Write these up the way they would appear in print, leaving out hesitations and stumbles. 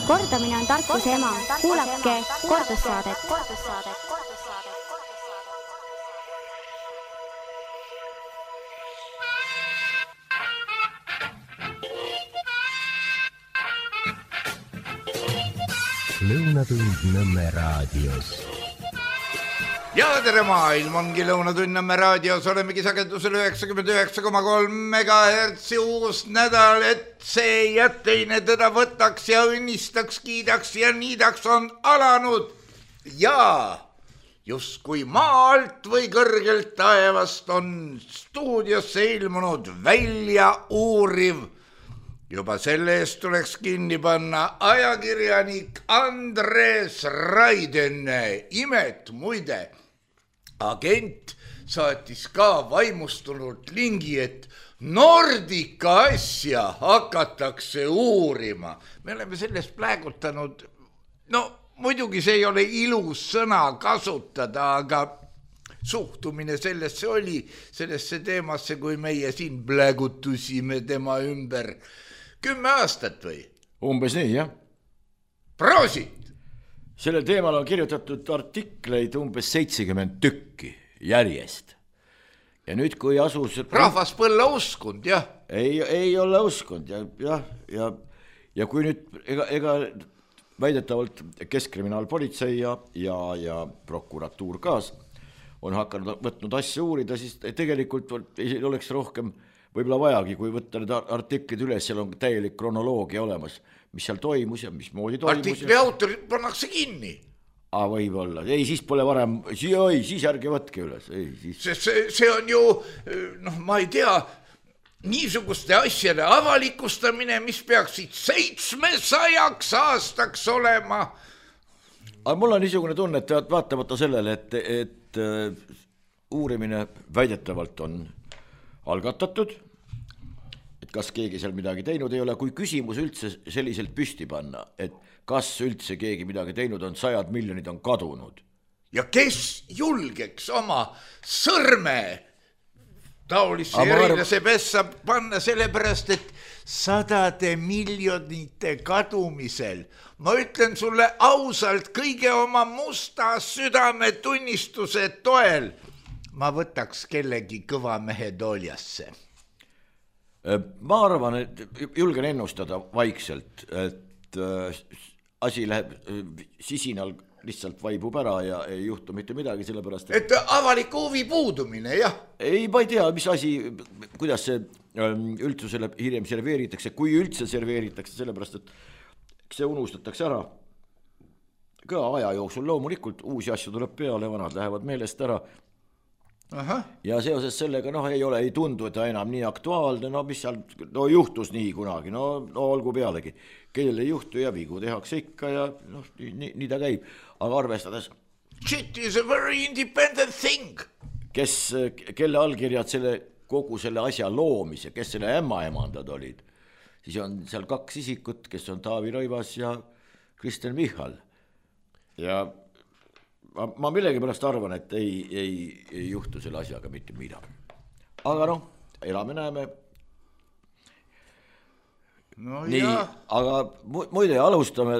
Kordamine on tarkuse ema. Kuulake kordussaadet. Lõunatund Nõmme raadios. Ja tere maailm, ongi Lõunatund Nõmme raadios, olemegi sagedusel 99,3 MHz uus nädal, et see ja teine teda võtaks ja õnnistaks, kiidaks ja niidaks on alanud. Ja just kui maa alt või kõrgelt taevast on stuudiosse ilmunud välja uuriv. Juba selle eest tuleks kinni panna ajakirjanik Andres Raiden. Imet muide, agent saatis ka vaimustunult lingi, et Nordica asja hakatakse uurima. Me oleme sellest plägutanud, no muidugi see ei ole ilus sõna kasutada, aga suhtumine sellesse oli, sellesse teemasse, kui meie siin plägutusime tema ümber 10 aastat või? Umbes nii, jah. Proosit! Sellel teemal on kirjutatud artikleid umbes 70 tükki järjest. Ja nüüd, kui asus... Rahvas põlla uskund, jah? Ei ole uskund, ja kui nüüd ega väidetavalt Keskkriminaalpolitsei ja prokuratuur kaas on hakanud võtnud asja uurida, siis tegelikult ei oleks rohkem võib-olla vajagi, kui võtta need artiklid üles, seal on täielik kronoloogia olemas, mis seal toimus ja mismoodi toimus. Artikli autorid pannakse kinni. Võib-olla, ei, siis pole varem, siis ärge võtke üles. See on ju, ma ei tea, niisuguste asjade avalikustamine, mis peaksid 700 aastaks olema. Aga mul on niisugune tunne, et vaatamata sellele, et uurimine väidetavalt on algatatud, et kas keegi seal midagi teinud ei ole, kui küsimus üldse selliselt püsti panna, et kas üldse keegi midagi teinud on, 100 miljonid on kadunud. Ja kes julgeks oma sõrme taolisse erilase pessa panna sellepärast, et 100 miljonite kadumisel, ma ütlen sulle ausalt kõige oma musta südame tunnistuse toel, ma võtaks kellegi kõva mehe tooljasse. Ma arvan, et julgen ennustada vaikselt, et asi läheb sisinal, lihtsalt vaibub ära ja ei juhtu mitte midagi, sellepärast et avaliku huvi puudumine, jah? Ei, ma ei tea, mis asi, kuidas see üldsusele hiljem serveeritakse, kui üldse serveeritakse, sellepärast et see unustatakse ära. Ka aja jooksul loomulikult uusi asju tuleb peale, vanad lähevad meelest ära. Aha. Ja seoses sellega ei tundu, et enam nii aktuaalne, mis seal juhtus nii kunagi, olgu pealegi. Kellel ei juhtu ja vigu tehakse ikka ja nii ta käib. Aga arvestades... Shit is a very independent thing. Kelle allkirjad kogu selle asja loomise, kes selle ämmaemandad olid, siis on seal 2 isikut, kes on Taavi Rõivas ja Kristen Michal. Ja... Ma millegi pärast arvan, et ei juhtu selle asjaga mitte midagi. Aga elame näeme. Nii, aga muide alustame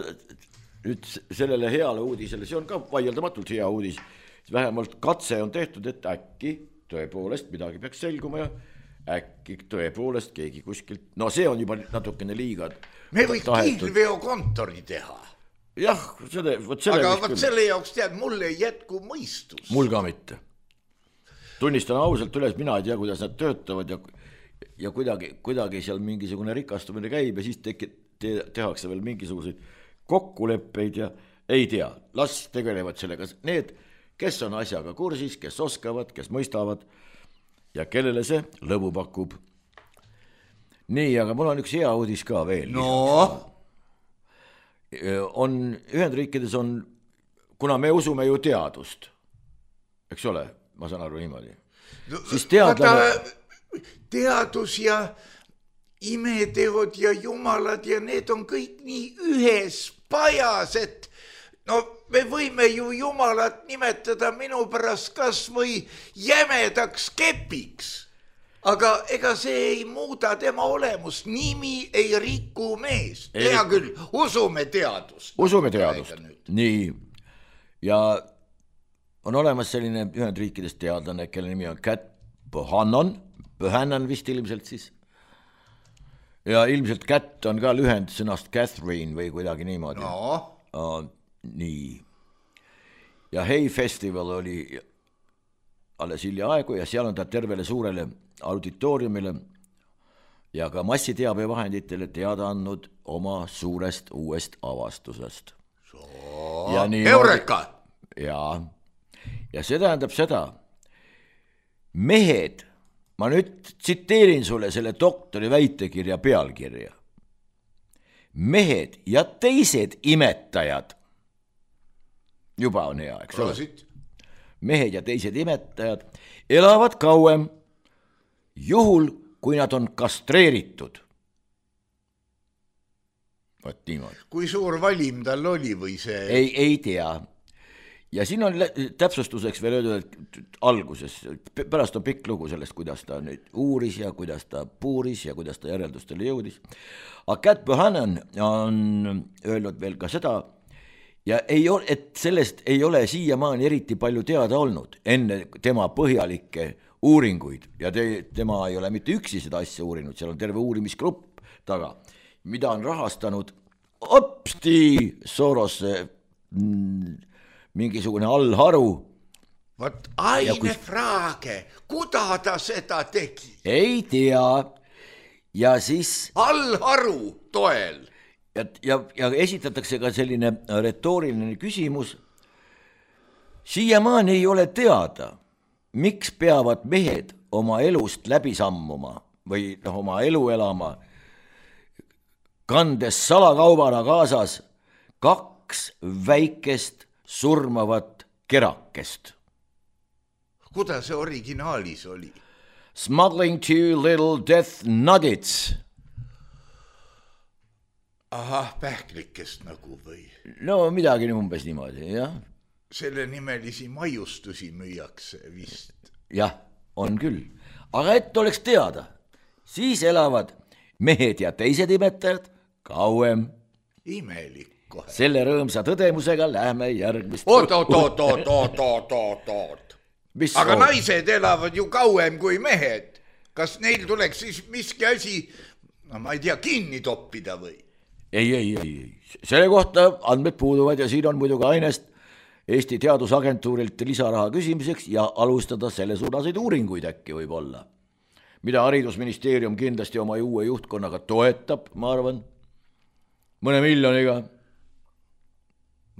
nüüd sellele heale uudisele, see on ka vaieldamatult hea uudis. Vähemalt katse on tehtud, et äkki tõepoolest midagi peaks selguma ja äkki tõepoolest keegi kuskilt, see on juba natukene liiga. Me võiks kiilveokontori teha. Jah, aga selle jaoks tead, mulle ei jätku mõistus. Mul ka mitte. Tunnistan ausalt üles, mina ei tea, kuidas nad töötavad ja kuidagi seal mingisugune rikastumine käib ja siis tehakse veel mingisuguseid kokkuleppeid ja ei tea. Las tegelevad sellega need, kes on asjaga kursis, kes oskavad, kes mõistavad ja kellele see lõbu pakub. Nii, aga mul on üks hea uudis ka veel. Ühendriikides on, kuna me usume ju teadust, eks ole, ma saan aru niimoodi, siis teadus ja imeteod ja jumalad ja need on kõik nii ühes pajas, et me võime ju jumalat nimetada minu pärast kas või jämedaks kepiks. aga ega see ei muuda tema olemust, nimi ei riku meest. Hea küll, usume teadust. Usume teadust, nii. Ja on olemas selline Ühendriikidest teadlane, kelle nimi on Cat Bohannon vist ilmselt siis. Ja ilmselt Cat on ka lühend sõnast Catherine või kuidagi niimoodi. No. Nii. Ja Hey Festival oli alles hiljaaegu ja seal on ta tervele suurele auditooriumile ja ka massiteabevahenditele teada andnud oma suurest uuest avastusest. Eureka! Ja see tähendab seda, mehed, ma nüüd tsiteerin sulle selle doktori väitekirja pealkirja. Mehed ja teised imetajad, juba on hea, eks ole? Mehed ja teised imetajad elavad kauem, juhul kui nad on kastreeritud. Võt niimoodi. Kui suur valim tal oli või see? Ei tea. Ja siin on täpsustuseks veel öeldud, et alguses, pärast on pikk lugu sellest, kuidas ta nüüd uuris ja kuidas ta puuris ja kuidas ta järeldustele jõudis. Aga Cat Bohannon on öelnud veel ka seda, ja et sellest ei ole siiamaani eriti palju teada olnud enne tema põhjalikke uuringuid ja tema ei ole mitte üksi seda asja uurinud, seal on terve uurimisgrupp taga, mida on rahastanud Soros mingisugune allharu. Vot aine fraage, kuda ta seda tegi? Ei tea. Ja siis allharu toel. Ja esitatakse ka selline retooriline küsimus. Siiamaani ei ole teada, miks peavad mehed oma elust läbi sammuma või oma elu elama, kandes salakaubana kaasas 2 väikest surmavat kerakest. Kuidas see originaalis oli? Smuggling 2 little death nuggets. Ahah, pähklikest nagu või? No midagi umbes niimoodi, jah. Selle nimelisi maiustusi müüakse vist. Jah, on küll. Aga et oleks teada, siis elavad mehed ja teised imetajad kauem. Imelik kohe. Selle rõõmsa tõdemusega lähme järgmist. Oot. Aga naised elavad ju kauem kui mehed. Kas neil tuleks siis miski asi, no ma ei tea, kinni toppida või? Ei. Selle kohta andmed puuduvad ja siin on muidugi ainest Eesti Teadusagentuurilt lisaraha küsimiseks ja alustada selle suunaseid uuringuid äkki võib olla. Mida haridusministeerium kindlasti oma uue juhtkonnaga toetab, ma arvan, mõne miljoniga.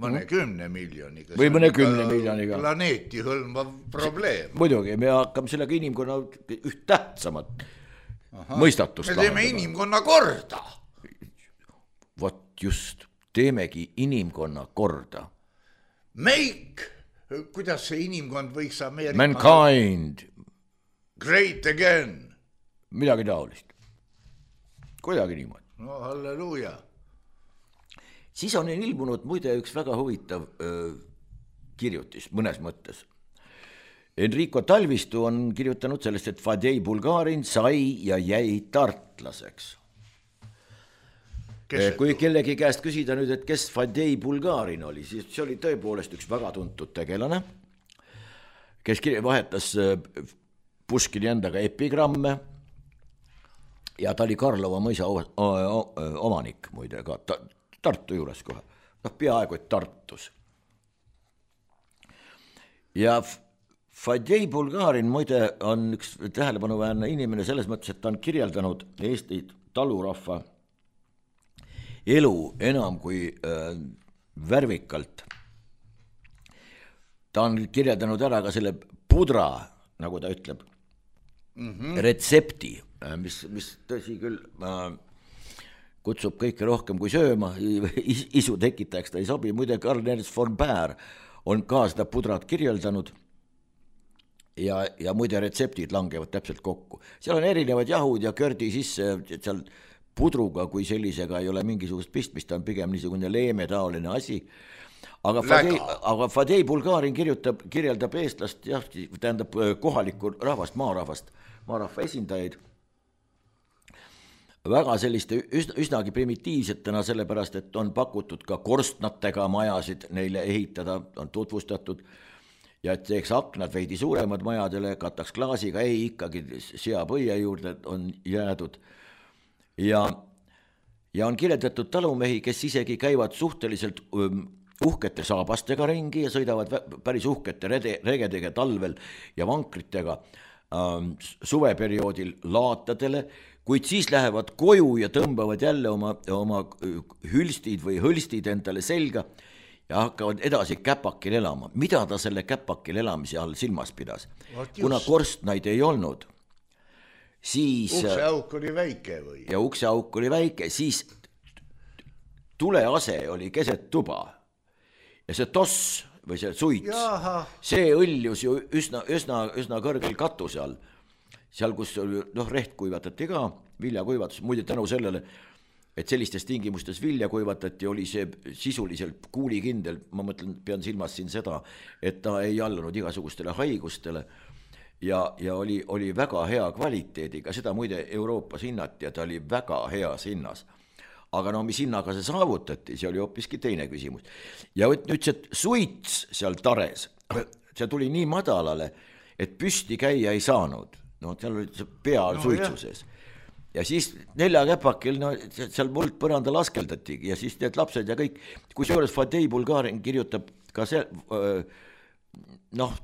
Mõne 10 miljoniga. Või mõne 10 miljoniga. Planeeti hõlmav probleem. Muidugi, me hakkame sellega inimkonna üht tähtsamat mõistatust. Me teeme inimkonna korda. Vot just, teemegi inimkonna korda. Make, kuidas see inimkond võiks Ameerika... Mankind. Great again. Midagi taolist. Kuidagi niimoodi. No halleluuja. Siis on ilmunud muide üks väga huvitav kirjutis mõnes mõttes. Enrico Talvistu on kirjutanud sellest, et Fadei Bulgarin sai ja jäi tartlaseks. Kui kellegi käest küsida nüüd, et kes Fadei Bulgarin oli, siis see oli tõepoolest üks väga tuntud tegelane, kes vahetas Puškini endaga epigramme ja ta oli Karlova mõisa omanik muide ka Tartu juures kohe, peaaegu et Tartus. Ja Fadei Bulgarin muide on üks tähelepanuväärne inimene selles mõttes, et ta on kirjeldanud Eesti talurahva elu enam kui värvikalt. Ta on kirjeldanud ära ka selle pudra, nagu ta ütleb, retsepti, mis tõsi küll kutsub kõike rohkem kui sööma, isu tekitajaks ta ei sobi. Muide, Karl Ernst von Baer on ka seda pudrat kirjeldanud ja muide retseptid langevad täpselt kokku. Seal on erinevad jahud ja kördi sisse, seal pudruga kui sellisega ei ole mingisugust pistmist, ta on pigem niisugune leemetaoline asi. Aga Fadei Bulgarin kirjeldab eestlast, jah, tähendab kohalikku rahvast, maarahvast maarahva esindajaid väga selliste üsnagi primitiivsetena, sellepärast, et on pakutud ka korstnatega majasid neile ehitada, on tutvustatud ja et teeks aknad veidi suuremad majadele, kataks klaasiga, ei ikkagi seapõie juurde on jäädud ja on kirjeldatud talumehi, kes isegi käivad suhteliselt uhkete saabastega ringi ja sõidavad päris uhkete regedega talvel ja vankritega suveperioodil laatadele, kuid siis lähevad koju ja tõmbavad jälle oma hülstid või hõlstid endale selga ja hakkavad edasi käpakil elama. Mida ta selle käpakil elamise all silmas pidas? Kuna korstnaid ei olnud, siis ukseauk oli väike või? Ja ukseauk oli väike, siis tulease oli keset tuba ja see toss või see suits, see õljus ju üsna kõrgel katuse all. Seal, kus reht kuivatati ka, vilja kuivatus, muide tänu sellele, et sellistes tingimustes vilja kuivatati, oli see sisuliselt kuulikindel, ma mõtlen, pean silmas siin seda, et ta ei allunud igasugustele haigustele ja oli väga hea kvaliteediga, seda muide Euroopas hinnati ja ta oli väga heas hinnas. Aga mis hinnaga see saavutati, see oli hoopiski teine küsimus. Ja nüüd see suits seal tares, see tuli nii madalale, et püsti käia ei saanud. Seal oli see pea suitsuses. Ja siis 4 käpakil, seal muld põranda laskeldati ja siis need lapsed ja kõik, kusjuures Fadei Bulgarin kirjutab ka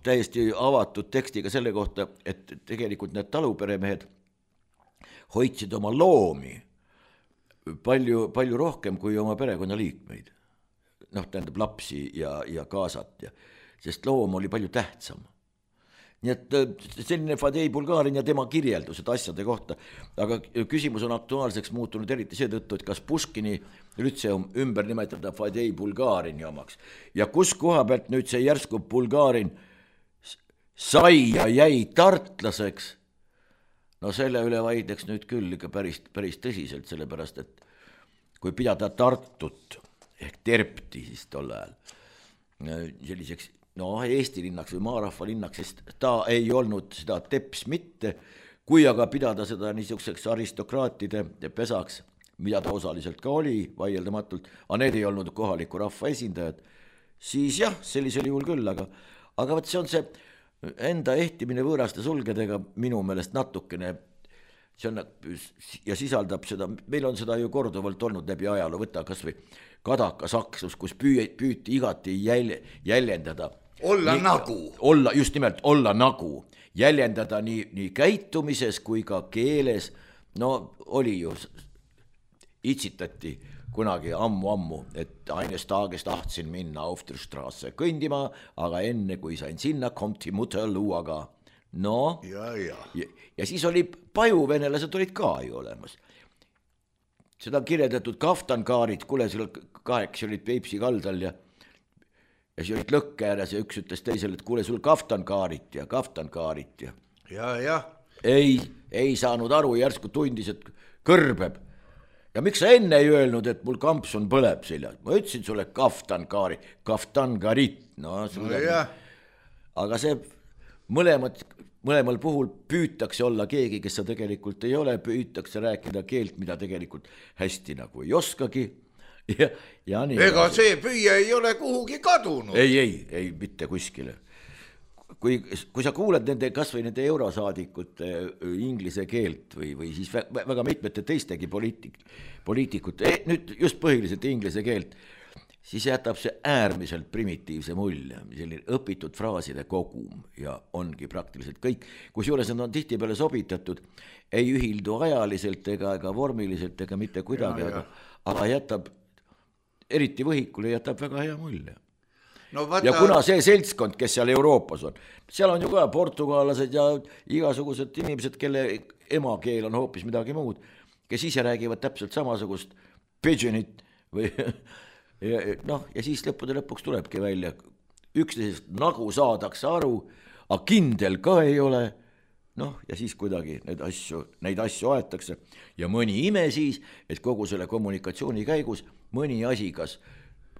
täiesti avatud tekstiga selle kohta, et tegelikult need taluperemehed hoidsid oma loomi palju rohkem kui oma perekonnaliikmeid. Tähendab lapsi ja kaasat, sest loom oli palju tähtsam. Nii et selline Fadei Bulgarin ja tema kirjeldused asjade kohta, aga küsimus on aktuaalseks muutunud eriti seetõttu, et kas Puškini lütseum ümber nimetada Fadei Bulgarini omaks ja kus koha pealt nüüd see järsku Bulgarin sai ja jäi tartlaseks. Selle üle vaidleks nüüd küll ikka päris tõsiselt, sellepärast, et kui pidada Tartut ehk Terpti siis tol ajal selliseks Eesti linnaks või maarahva linnaks, sest ta ei olnud seda teps mitte, kui aga pidada seda niisuguseks aristokraatide pesaks, mida ta osaliselt ka oli, vaieldamatult, aga need ei olnud kohaliku rahva esindajad, siis jah, sellisel juhul küll, aga võt see on see enda ehtimine võõraste sulgedega minu meelest natukene, see on ja sisaldab seda, meil on seda ju korduvalt olnud läbi ajaloo, võtta kas või Kadaka saksus, kus püüti igati jäljendada. Just nimelt, olla nagu, jäljendada nii käitumises kui ka keeles, oli ju, itsitati kunagi ammu, et eines tages tahtsin minna auf der Straße kõndima, aga enne kui sain sinna, kommt die Mutter luuaga. Ja siis oli pajuvenelased olid ka ju olemas. Seda on kirjeldatud kaftankaarid, kuule seal 8 olid Peipsi kaldal ja siis olid lõkke ääres ja üks ütles teisele, et kuule sul kaftankaarit ja. Ja. Ei saanud aru, järsku tundis, et kõrbeb. Ja miks sa enne ei öelnud, et mul kampsun põleb seljas? Ma ütlesin sulle kaftankarit. Aga see mõlemal puhul püütakse olla keegi, kes sa tegelikult ei ole, püütakse rääkida keelt, mida tegelikult hästi nagu ei oskagi. Ja nii. Ega see püüa ei ole kuhugi kadunud. Ei, mitte kuskile. Kui sa kuuled kas või nende eurosaadikute inglise keelt või siis väga mitmete teistegi poliitikute, nüüd just põhiliselt inglise keelt, siis jätab see äärmiselt primitiivse mulje, selline õpitud fraaside kogum ja ongi praktiliselt kõik, kusjuures nad on tihtipeale sobitatud, ei ühildu ajaliselt ega vormiliselt ega mitte kuidagi, aga jätab, eriti võhikule jätab väga hea mulje. Ja kuna see seltskond, kes seal Euroopas on, seal on ju ka portugallased ja igasugused inimesed, kelle emakeel on hoopis midagi muud, kes ise räägivad täpselt samasugust pidžinit või ja siis lõppude lõpuks tulebki välja, üksteisest nagu saadakse aru, aga kindel ka ei ole, ja siis kuidagi neid asju aetakse ja mõni ime siis, et kogu selle kommunikatsiooni käigus mõni asi kas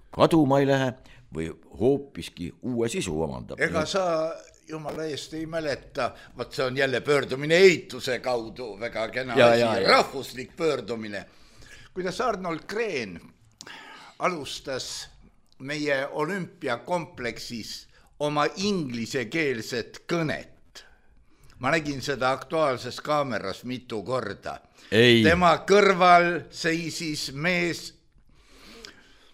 kaduma ei lähe või hoopiski uue sisu omandab. Ega sa jumala eest ei mäleta, vaat see on jälle pöördumine eituse kaudu, väga kena asi, rahvuslik pöördumine. Kuidas Arnold Green alustas meie olümpiakompleksis oma inglisekeelset kõnet. Ma nägin seda Aktuaalses kaameras mitu korda. Tema kõrval seisis mees,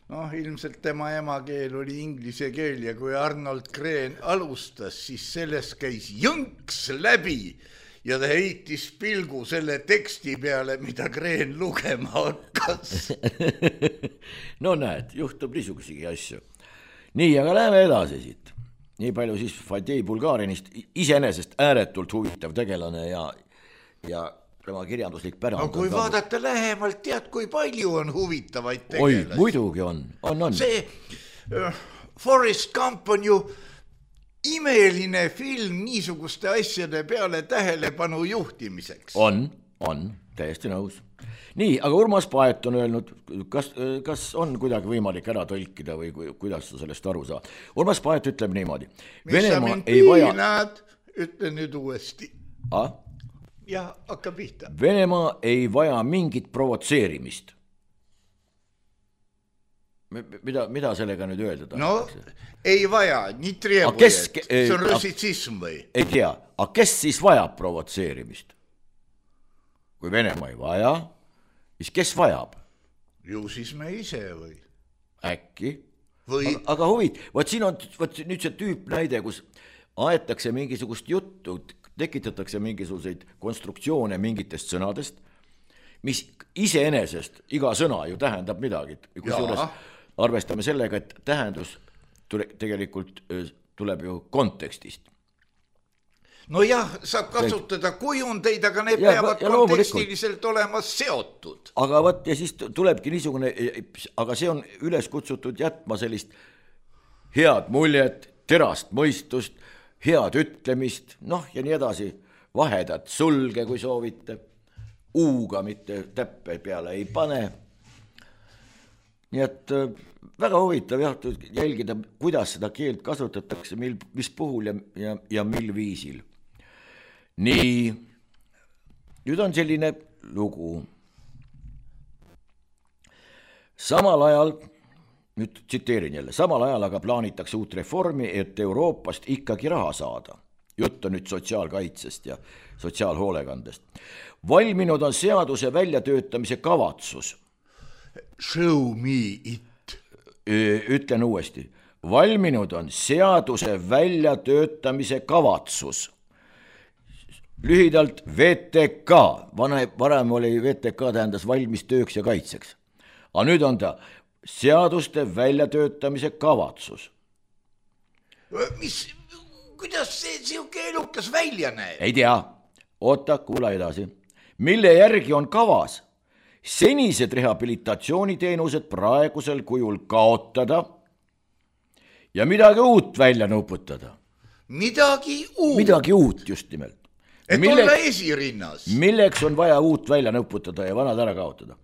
ilmselt tema emakeel oli inglise keel ja kui Arnold Green alustas, siis sellest käis jõnks läbi ja ta heitis pilgu selle teksti peale, mida Green lugema hakkas. No näed, juhtub niisugusegi asju. Nii, aga läheme edasi siit. Nii palju siis Fadei Bulgarinist, iseenesest ääretult huvitav tegelane ja tema kirjanduslik pärand. No kui vaadata lähemalt, tead, kui palju on huvitavaid tegelasi. Oi, muidugi on. See Forrest Gump on ju imeline film niisuguste asjade peale tähelepanu juhtimiseks. On, täiesti nõus. Nii, aga Urmas Paet on öelnud, kas on kuidagi võimalik ära tõlkida või kuidas sa sellest aru saad. Urmas Paet ütleb niimoodi. Mis sa mind piinad, ütle nüüd uuesti. Ja hakka pihta. Venemaa ei vaja mingit provotseerimist. Mida sellega nüüd öelda tahetakse? No, ei vaja, nii treebujed. See on russitsism või? Ei tea, aga kes siis vajab provotseerimist? Kui Venemaa ei vaja, siis kes vajab? Ju siis me ise või? Äkki. Aga huvit, võt siin on nüüd see tüüp näide, kus aetakse mingisugust juttu, tekitatakse mingisuguseid konstruktsioone mingitest sõnadest, mis iseenesest iga sõna ju tähendab midagi. Kusjuures arvestame sellega, et tähendus tegelikult tuleb ju kontekstist. No jah, saab kasutada kujundeid, aga need peavad kontekstiliselt olema seotud. Aga võt, ja siis tulebki niisugune, aga see on üles kutsutud jätma sellist head muljet, terast mõistust, head ütlemist, ja nii edasi, vahedat sulge, kui soovite, uuga mitte täppe peale ei pane. Nii et väga huvitav jälgida, kuidas seda keelt kasutatakse, mis puhul ja mil viisil. Nii, nüüd on selline lugu. Samal ajal, nüüd tsiteerin jälle, samal ajal aga plaanitakse uut reformi, et Euroopast ikkagi raha saada. Jutt on nüüd sotsiaalkaitsest ja sotsiaalhoolekandest. Valminud on seaduse väljatöötamise kavatsus. Show me it. Ütlen uuesti. Valminud on seaduse väljatöötamise kavatsus. Lühidalt VTK, varem oli VTK tähendas valmis tööks ja kaitseks. Aga nüüd on ta seaduste väljatöötamise kavatsus. Kuidas see siuke elukas välja näeb? Ei tea, oota, kuula edasi. Mille järgi on kavas senised rehabilitatsiooniteenused praegusel kujul kaotada ja midagi uut välja nuputada. Midagi uut? Midagi uut just nimelt. Et olla esirinnas. Milleks on vaja uut välja nuputada ja vanad ära kaotada.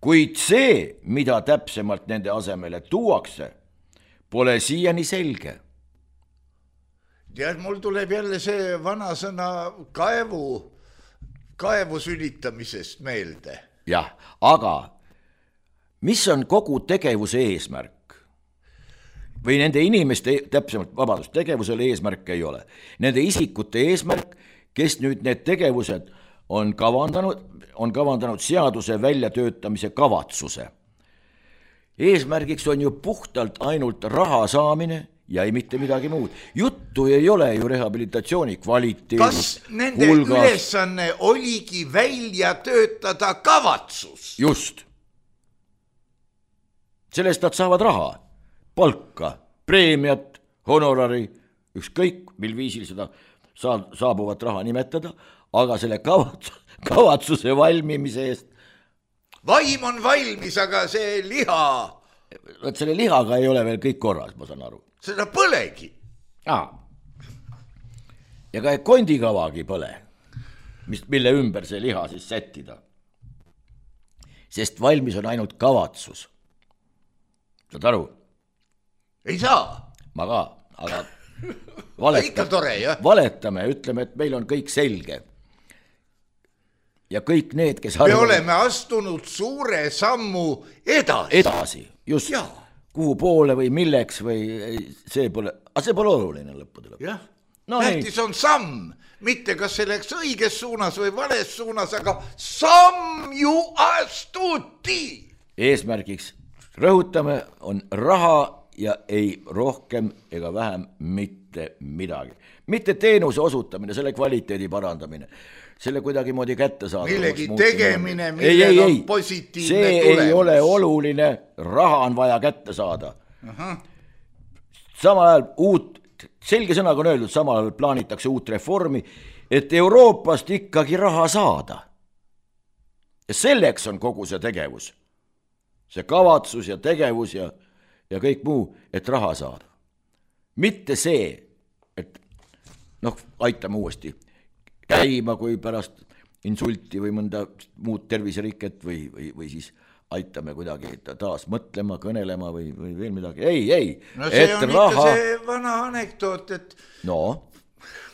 Kuid see, mida täpsemalt nende asemele tuuakse, pole siiani selge. Tead, mul tuleb jälle see vana sõna kaevu sülitamisest meelde. Jah, aga mis on kogu tegevuse eesmärk? Või nende inimeste, täpsemalt, tegevusel eesmärk ei ole. Nende isikute eesmärk, kes nüüd need tegevused on kavandanud seaduse väljatöötamise kavatsuse. Eesmärgiks on ju puhtalt ainult raha saamine ja ei mitte midagi muud. Juttu ei ole ju rehabilitatsiooni kvaliteedist. Kas nende ülesanne oligi välja töötada kavatsus? Just. Sellest nad saavad raha, palka, preemiat, honorari, ükskõik mil viisil seda saabuvat raha nimetada, aga selle kavatsuse valmimise eest. Vaim on valmis, aga see liha. Võt selle lihaga ei ole veel kõik korras, ma saan aru. Seda põlegi. Ja ka kondikavagi põle, mille ümber see liha siis sättida. Sest valmis on ainult kavatsus. Saad aru? Ei saa. Ma ka, aga Ikka tore, jah. Valetame, ütleme, et meil on kõik selge. Ja kõik need, kes me oleme astunud suure sammu edasi. Just. Ja. Kuhu poole või milleks või see pole oluline lõppude lõpuks. Jah, tähtis on samm, mitte kas see läks õiges suunas või vales suunas, aga samm ju astuti. Eesmärgiks, rõhutame, on raha ja ei rohkem ega vähem mitte midagi. Mitte teenuse osutamine, selle kvaliteedi parandamine, selle kuidagi moodi kätte saada. Millegi tegemine, millel on positiivne see tulemus. Ei ole oluline, raha on vaja kätte saada. Samal ajal selge sõnaga on öeldud, samal ajal plaanitakse uut reformi, et Euroopast ikkagi raha saada. Ja selleks on kogu see tegevus. See kavatsus ja tegevus ja kõik muu, et raha saada. Mitte see, et aitame uuesti käima, kui pärast insulti või mõnda muud terviseriket või siis aitame kuidagi taas mõtlema, kõnelema või veel midagi. Ei. No see on ikka see vana anekdoot, et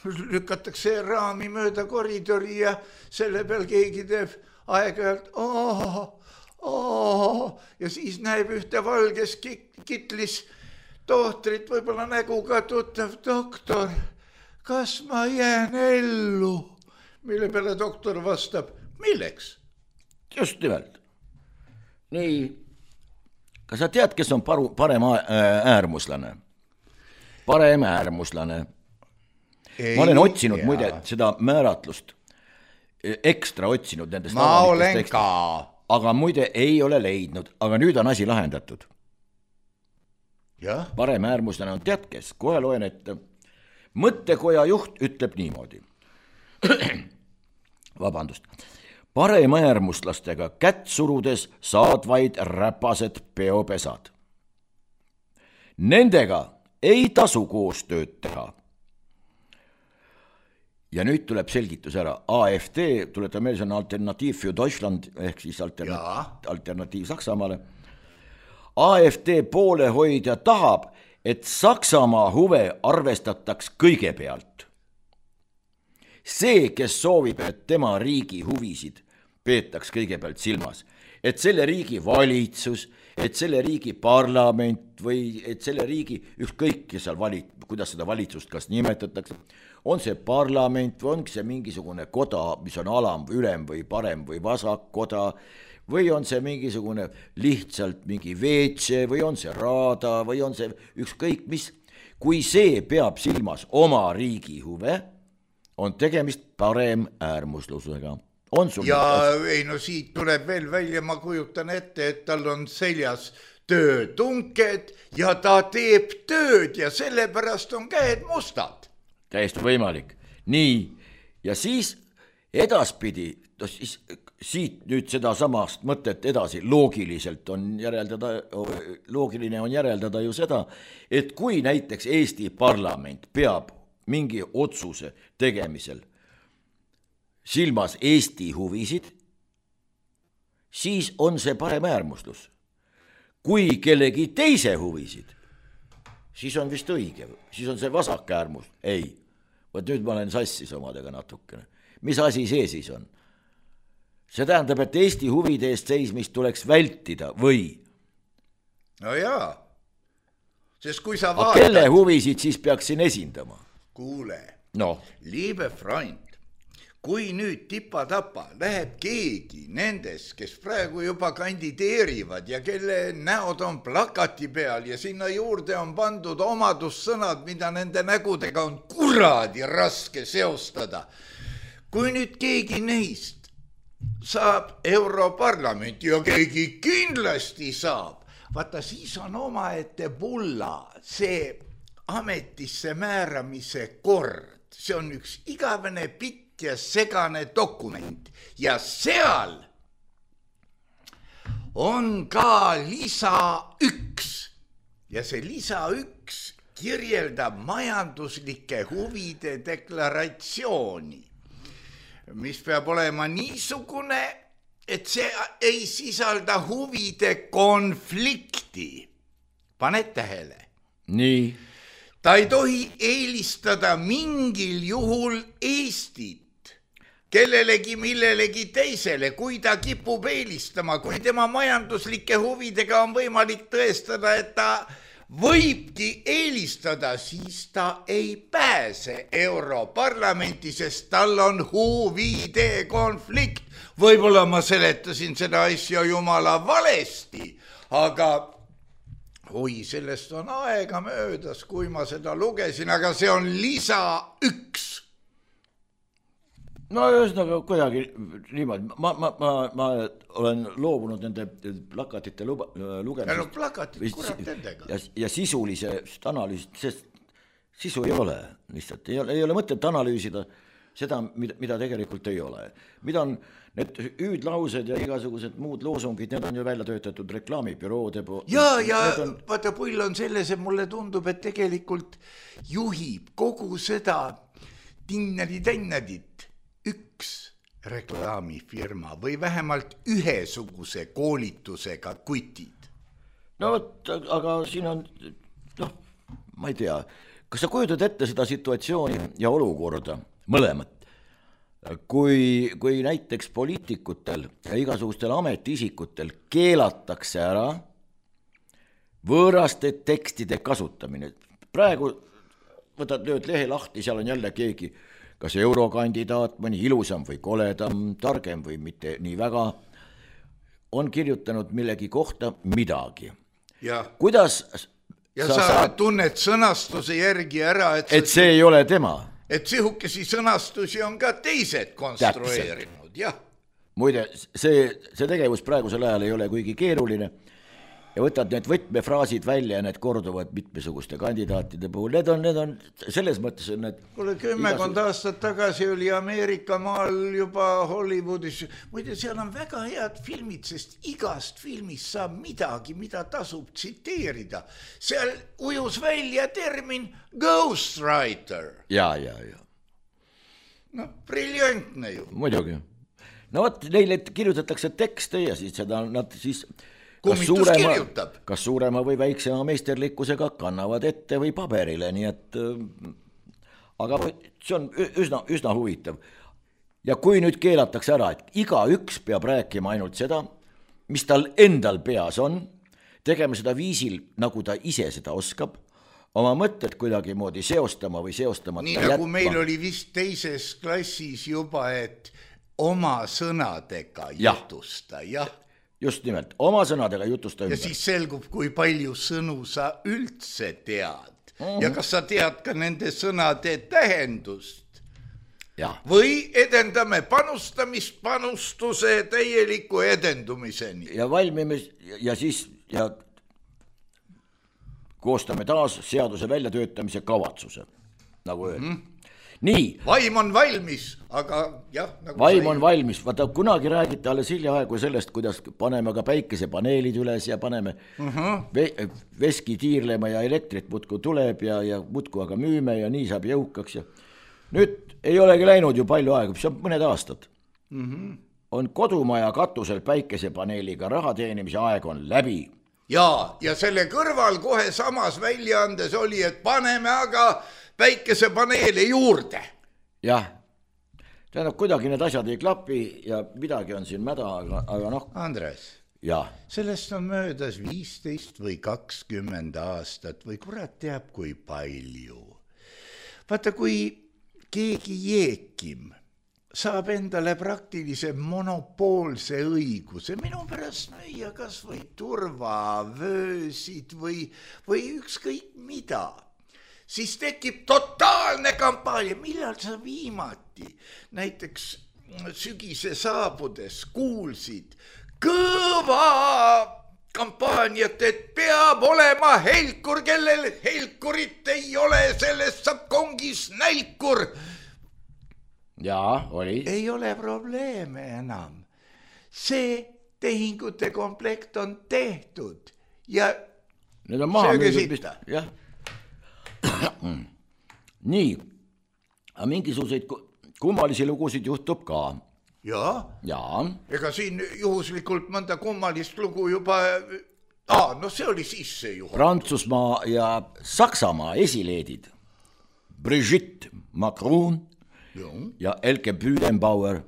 lükatakse raami mööda koridori ja selle peal keegi teeb aeg-ajalt ja siis näeb ühte valges kitlis tohtrit, võib-olla näguga tuttav doktor. Kas ma jään ellu? Mille peale doktor vastab, milleks? Just nimelt. Nii, kas sa tead, kes on parem äärmuslane? Parem äärmuslane. Ma olen otsinud muide seda määratlust, ekstra otsinud nendest. Ma olen ka. Aga muide ei ole leidnud, aga nüüd on asi lahendatud. Ja? Parem äärmuslane on tead kes, kohe loen ette. Mõttekoja juht ütleb niimoodi. Vabandust. Parem äärmuslastega kätt surudes saad vaid räpased peopesad. Nendega ei tasu koostööd teha. Ja nüüd tuleb selgitus ära. AfD, tuletan meelde, see on Alternatiiv für Deutschland, ehk siis alternatiiv Saksamaale. AfD poolehoidja tahab, et Saksamaa huve arvestataks kõigepealt. See, kes soovib, et tema riigi huvisid peetaks kõigepealt silmas, et selle riigi valitsus, et selle riigi parlament või et selle riigi ükskõik, kes seal kuidas seda valitsust kas nimetatakse, on see parlament või ongi see mingisugune koda, mis on alam, ülem või parem või vasak koda, või on see mingisugune lihtsalt mingi veetse või on see raada või on see ükskõik mis, kui see peab silmas oma riigi huve, on tegemist parem äärmuslusega. Siit tuleb veel välja, ma kujutan ette, et tal on seljas töötunked ja ta teeb tööd ja sellepärast on käed mustad. Täiesti võimalik. Nii, ja siis edaspidi, siit nüüd seda samast mõtet edasi loogiliselt on loogiline on järeldada ju seda, et kui näiteks Eesti parlament peab mingi otsuse tegemisel silmas Eesti huvisid, siis on see parem äärmuslus. Kui kellegi teise huvisid, siis on vist õige, siis on see vasak äärmus. Ei, võt nüüd ma olen sassis omadega natukene. Mis asi see siis on? See tähendab, et Eesti huvide eest seismist tuleks vältida või? No jaa, sest kui sa vaatad... Kelle huvisid siis peaksin esindama? Kuule, no. Liebe Freund, kui nüüd tipa-tapa läheb keegi nendest, kes praegu juba kandideerivad ja kelle näod on plakati peal ja sinna juurde on pandud omadussõnad, mida nende nägudega on kuradi raske seostada. Kui nüüd keegi neist saab Europarlamenti ja keegi kindlasti saab, vaata siis on omaette pulla see ametisse määramise kord. See on üks igavene pitt ja segane dokument ja seal on ka lisa 1 ja see lisa 1 kirjeldab majanduslike huvide deklaratsiooni, mis peab olema niisugune, et see ei sisalda huvide konflikti. Paned tähele? Nii. ta ei tohi eelistada mingil juhul Eestit kellelegi millelegi teisele, kui ta kipub eelistama, kui tema majanduslike huvidega on võimalik tõestada, et ta võibki eelistada, siis ta ei pääse Europarlamenti, sest tal on huvide konflikt. Võib-olla ma seletasin seda asja jumala valesti, aga sellest on aega möödas, kui ma seda lugesin, aga see on lisa 1. No ühesõnaga kuidagi niimoodi, ma olen loobunud nende plakatite lugemisest. No plakatid, kurat nendega. Ja sisulisest analüüsist, sest sisu ei ole lihtsalt, ei ole mõtet analüüsida seda, mida tegelikult ei ole. Mida on need hüüdlaused ja igasugused muud loosungid, need on ju välja töötatud reklaamibüroode poolt. Vaata, pull on selles, et mulle tundub, et tegelikult juhib kogu seda tinnadi-tennadit üks reklaamifirma või vähemalt ühesuguse koolitusega kutid. No võt, aga siin on, ma ei tea, kas sa kujutad ette seda situatsiooni ja olukorda, mõlemat, kui näiteks poliitikutel ja igasugustel ametiisikutel keelatakse ära võõraste tekstide kasutamine. Praegu võtad lööd lehe lahti, seal on jälle keegi, kas eurokandidaat, mõni ilusam või koledam, targem või mitte nii väga, on kirjutanud millegi kohta midagi. Kuidas sa tunned sõnastuse järgi ära, et see ei ole tema. Et sihukesi sõnastusi on ka teised konstrueerinud. Muide, see tegevus praegusel ajal ei ole kuigi keeruline. Ja võtad need võtmefraasid välja ja need korduvad mitmesuguste kandidaatide puhul. Need on selles mõttes... Kuule, 10 aastat tagasi oli Ameerika maal juba Hollywoodis. Muide, seal on väga head filmid, sest igast filmist saab midagi, mida tasub tsiteerida. Seal ujus välja termin ghostwriter. Ja. Briljantne ju. Muidugi. No võt, neile kirjutatakse tekste ja siis seda nad siis... Kas suurema või väiksema meisterlikkusega kannavad ette või paberile, nii et aga see on üsna huvitav. Ja kui nüüd keelatakse ära, et igaüks peab rääkima ainult seda, mis tal endal peas on, tegema seda viisil, nagu ta ise seda oskab, oma mõtted kuidagi moodi seostama või seostamata nii nagu jätma. Meil oli vist teises klassis juba, et oma sõnadega jutusta, Just nimelt, oma sõnadega jutusta ümber. Ja siis selgub, kui palju sõnu sa üldse tead. Ja kas sa tead ka nende sõnade tähendust. Või edendame panustuse täieliku edendumiseni. Ja valmime ja siis koostame taas seaduse väljatöötamise kavatsuse, nagu öelda. Nii. Vaim on valmis, aga nagu vaim on valmis. Vaata, kunagi räägite alles hiljaaegu sellest, kuidas paneme ka päikesepaneelid üles ja paneme veski tiirlema ja elektrit mutku tuleb ja mutku aga müüme ja nii saab jõukaks. Ja nüüd ei olegi läinud ju palju aega, see on mõned aastad. On kodumaja katusel päikesepaneeliga raha teenimise aeg on läbi. Ja selle kõrval kohe samas väljaandes oli, et paneme aga päikesepaneele juurde. Tähendab, kuidagi need asjad ei klapi ja midagi on siin mäda, aga noh. Andres, sellest on möödas 15 või 20 aastat või kurat teab kui palju. Vaata, kui keegi jeekim saab endale praktilise monopoolse õiguse, minu pärast müüa kas või turvavöösid või ükskõik mida, siis tekib totaalne kampaania. Millal sa viimati näiteks sügise saabudes kuulsid kõva kampaaniat, et peab olema helkur, kellel helkurit ei ole, sellest saab kongis nälkur. Oli. Ei ole probleeme enam. See tehingute komplekt on tehtud ja need on maha müüdud. Nii, aga mingisuguseid kummalisi lugusid juhtub ka. Ega siin juhuslikult mõnda kummalist lugu juba No see oli siis see juhul. Prantsusmaa ja Saksamaa esileedid Brigitte Macron ja Elke Büdenbauer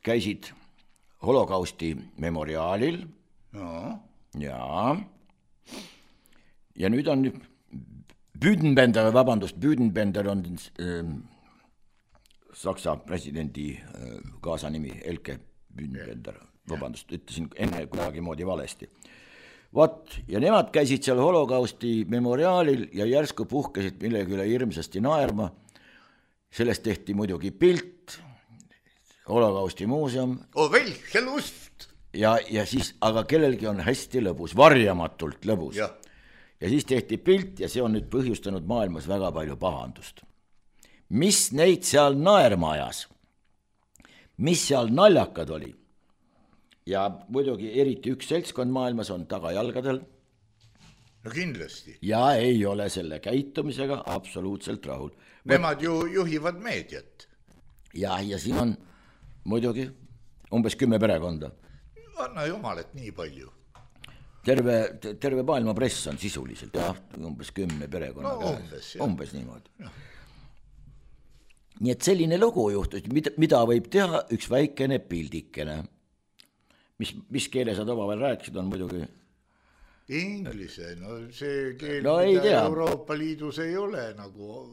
käisid holokausti memoriaalil ja nüüd on Büdenbender on Saksa presidendi kaasanimi Elke Büdenbender, vabandust, ütlesin enne kuidagi moodi valesti. Vot, ja nemad käisid seal holokausti memoriaalil ja järsku puhkesid millegi üle hirmsasti naerma, sellest tehti muidugi pilt, holokausti muuseum. Welche Lust! Ja siis, aga kellelgi on hästi lõbus, varjamatult lõbus. Ja siis tehti pilt ja see on nüüd põhjustanud maailmas väga palju pahandust. Mis neid seal naerma ajas? Mis seal naljakad oli? Ja muidugi eriti üks seltskond maailmas on tagajalgadel. No kindlasti. Ja ei ole selle käitumisega absoluutselt rahul. Nemad ju juhivad meediat. Ja siin on muidugi umbes 10 perekonda. Anna jumal, et nii palju. Terve maailma press on sisuliselt, umbes 10 perekonna. No umbes niimoodi. Ja. Nii et selline lugu juhtus, mida võib teha üks väikene pildikene. Mis keele sa omavahel rääkisid, on muidugi? Inglise, no see keel, no mida Euroopa Liidus ei ole nagu...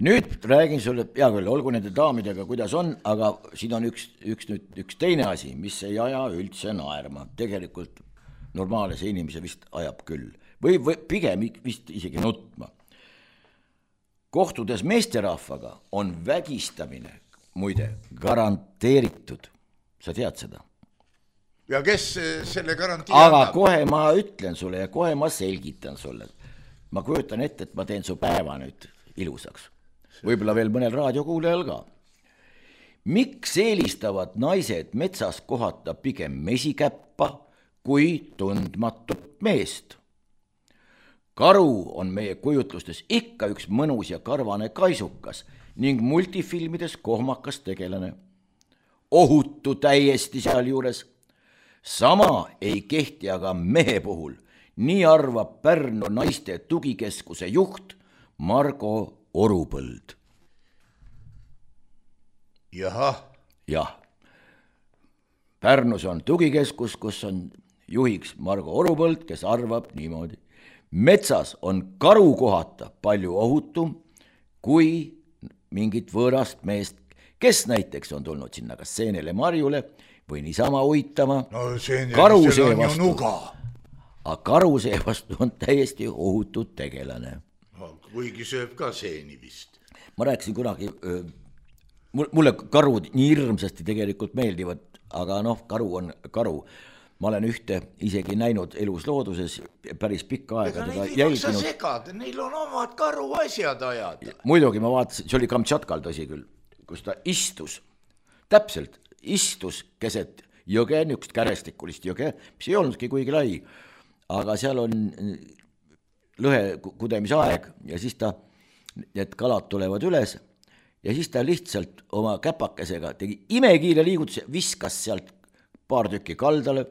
Nüüd räägin sulle, hea küll, olgu nende daamidega, kuidas on, aga siin on üks teine asi, mis ei aja üldse naerma. Tegelikult normaalse inimese vist ajab küll. Või pigem vist isegi nutma. Kohtudes meesterahvaga on vägistamine muide garanteeritud. Sa tead seda? Ja kes selle garantii aga annab? Kohe ma ütlen sulle ja kohe ma selgitan sulle. Ma kujutan ette, et ma teen su päeva nüüd ilusaks. Võib-olla veel mõnel raadiokuulejal ka. Miks eelistavad naised metsas kohata pigem mesikäppa kui tundmatut meest? Karu on meie kujutlustes ikka üks mõnus ja karvane kaisukas ning multifilmides kohmakas tegelane. Ohutu täiesti seal juures. Sama ei kehti aga mehe puhul. Nii arvab Pärnu naiste tugikeskuse juht Margo Orupõld. Jah. Pärnus on tugikeskus, kus on juhiks Margo Orupõld, kes arvab niimoodi. Metsas on karu kohata palju ohutum kui mingit võõrast meest, kes näiteks on tulnud sinna kas seenele marjule või niisama uitama. No karusee on ju nuga. Aga karusee vastu on täiesti ohutud tegelane. Kuigi sööb ka seeni vist. Ma rääkisin kunagi, mulle karud nii hirmsasti tegelikult meeldivad, aga karu on karu. Ma olen ühte isegi näinud elus looduses päris pikka aega. Ega neid ei maksa segada, neil on omad karu asjad ajada. Muidugi ma vaatasin, see oli Kamtšatkal tõsi küll, kus ta istus, täpselt istus keset jõge, niisugust kärestikulist jõge, mis ei olnudki kuigi lai, aga seal on lõhe kudemise aeg ja siis need kalad tulevad üles ja siis ta lihtsalt oma käpakesega tegi imekiire liigutus, viskas sealt paar tükki kaldale,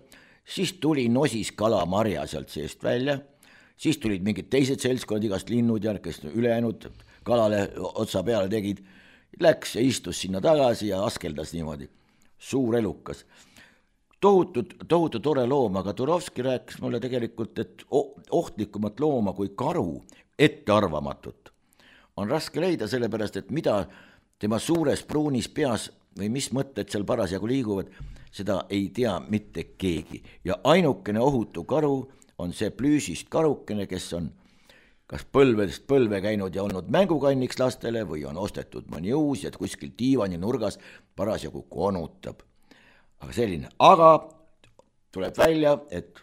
siis tuli nosis kalamarja sealt seest välja, siis tulid mingid teised seltskond, igast linnud ja kes ülejäänud kalale otsa peale tegid, läks ja istus sinna tagasi ja askeldas niimoodi, suur elukas. Tohutu tore loom, aga Turovski rääkis mulle tegelikult, et ohtlikumat looma kui karu, ettearvamatut, on raske leida sellepärast, et mida tema suures pruunis peas või mis mõtted seal parasjagu liiguvad, seda ei tea mitte keegi. Ja ainukene ohutu karu on see plüüsist karukene, kes on kas põlvedest põlve käinud ja olnud mängukanniks lastele või on ostetud mõni uus ja kuskil diivani nurgas parasjagu konutab. Aga selline, aga tuleb välja, et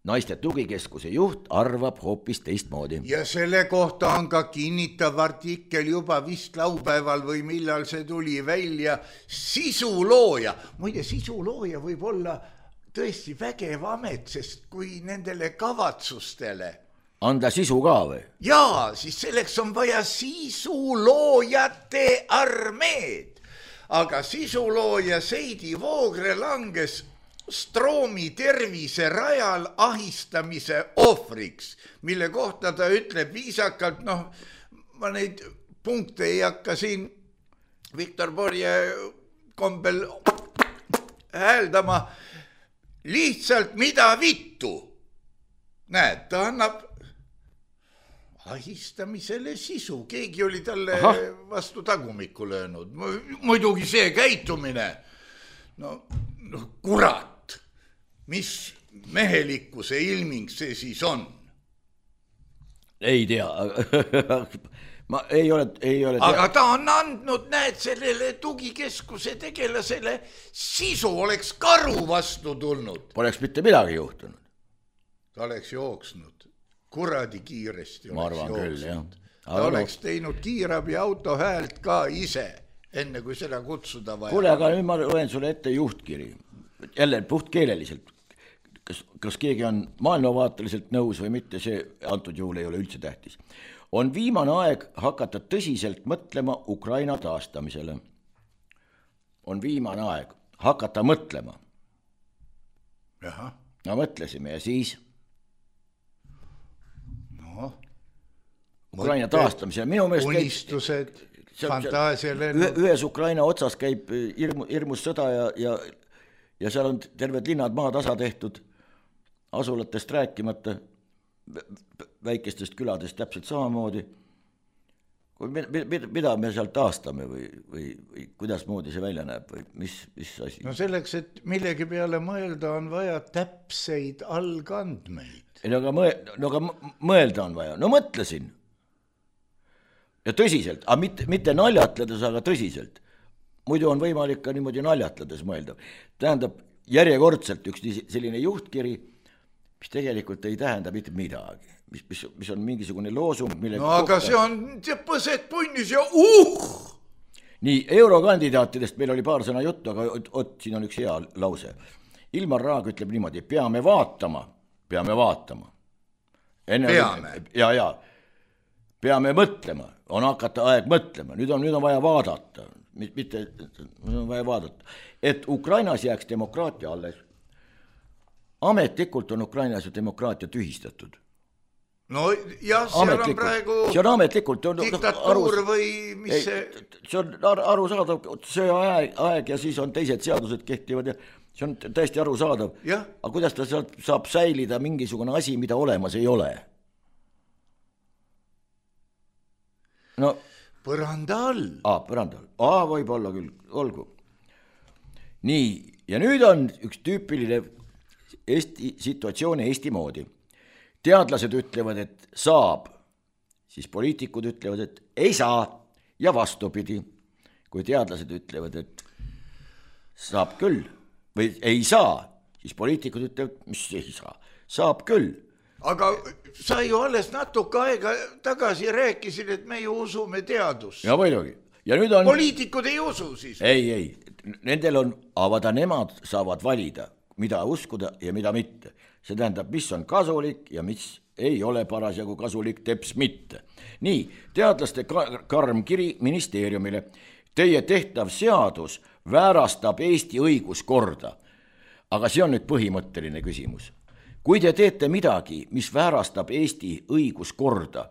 naiste tugikeskuse juht arvab hoopis teistmoodi. Ja selle kohta on ka kinnitav artikkel juba vist laupäeval või millal see tuli välja sisulooja. Muide, sisulooja võib olla tõesti vägev amet, sest kui nendele kavatsustele anda sisu ka või? Jaa, siis selleks on vaja sisuloojate armeed. aga sisulooja Seidi Voogre langes Stroomi tervise rajal ahistamise ohvriks, mille kohta ta ütleb viisakalt, ma neid punkte ei hakka siin Viktor Borje kombel hääldama, lihtsalt mida vittu. Näed, ta annab ahistamisele sisu, keegi oli talle vastu tagumikku löönud. Muidugi see käitumine, kurat, mis mehelikkuse ilming see siis on? Ei tea, ma ei ole aga ta on andnud, näed, sellele tugikeskuse tegelasele sisu, oleks karu vastu tulnud. Poleks mitte midagi juhtunud. Ta oleks jooksnud. Kuradi kiiresti ma arvan küll, jah. Ta oleks teinud kiirabi auto häält ka ise, enne kui seda kutsuda vaja. Kuule, aga nüüd ma loen sulle ette juhtkiri. Jälle puhtkeeleliselt. Kas keegi on maailmavaateliselt nõus või mitte, see antud juhul ei ole üldse tähtis. On viimane aeg hakata tõsiselt mõtlema Ukraina taastamisele. On viimane aeg hakata mõtlema. Jaha. No mõtlesime ja siis... Ukraina taastamise. Minu meelest unistused, fantaasialennud. Ühes Ukraina otsas käib hirmus sõda ja seal on terved linnad maatasa tehtud, asulatest rääkimata, väikestest küladest täpselt samamoodi. Mida me seal taastame või kuidas moodi see välja näeb või mis asi? No selleks, et millegi peale mõelda, on vaja täpseid algandmeid. Aga mõelda on vaja. No mõtlesin. Ja tõsiselt, aga mitte naljatledes, aga tõsiselt. Muidu on võimalik ka niimoodi naljatledes mõelda. Tähendab, järjekordselt üks selline juhtkiri, mis tegelikult ei tähenda mitte midagi. Mis on mingisugune loosung, mille... No aga see on põsed punnis ja Nii, eurokandidaatidest meil oli paar sõna juttu, aga siin on üks hea lause. Ilmar Raag ütleb niimoodi, peame vaatama. Peame. Ja. Peame mõtlema, on hakata aeg mõtlema, nüüd on vaja vaadata, mitte on vaja vaadata, et Ukrainas jääks demokraatia alles. Ametlikult on Ukrainas ju demokraatia tühistatud. No jah, seal on praegu see on ametlikult diktatuur või mis see... See on arusaadav, see aeg ja siis on teised seadused kehtivad ja see on täiesti arusaadav. Aga kuidas ta saab säilida mingisugune asi, mida olemas ei ole? No, põranda all. Põranda all. Võib olla küll, olgu. Nii, ja nüüd on üks tüüpiline situatsioon Eesti moodi. Teadlased ütlevad, et saab, siis poliitikud ütlevad, et ei saa ja vastupidi. Kui teadlased ütlevad, et saab küll või ei saa, siis poliitikud ütlevad, mis ei saa, saab küll. Aga sa ju alles natuke aega tagasi rääkisid, et me ju usume teadust. Ja muidugi. Ja nüüd on... Poliitikud ei usu siis. Ei. Nendel on, avada nemad saavad valida, mida uskuda ja mida mitte. See tähendab, mis on kasulik ja mis ei ole parasjagu kasulik, teps mitte. Nii, teadlaste karm kiri ministeeriumile. Teie tehtav seadus väärastab Eesti õiguskorda. Aga see on nüüd põhimõtteline küsimus. Kui te teete midagi, mis väärastab Eesti õiguskorda,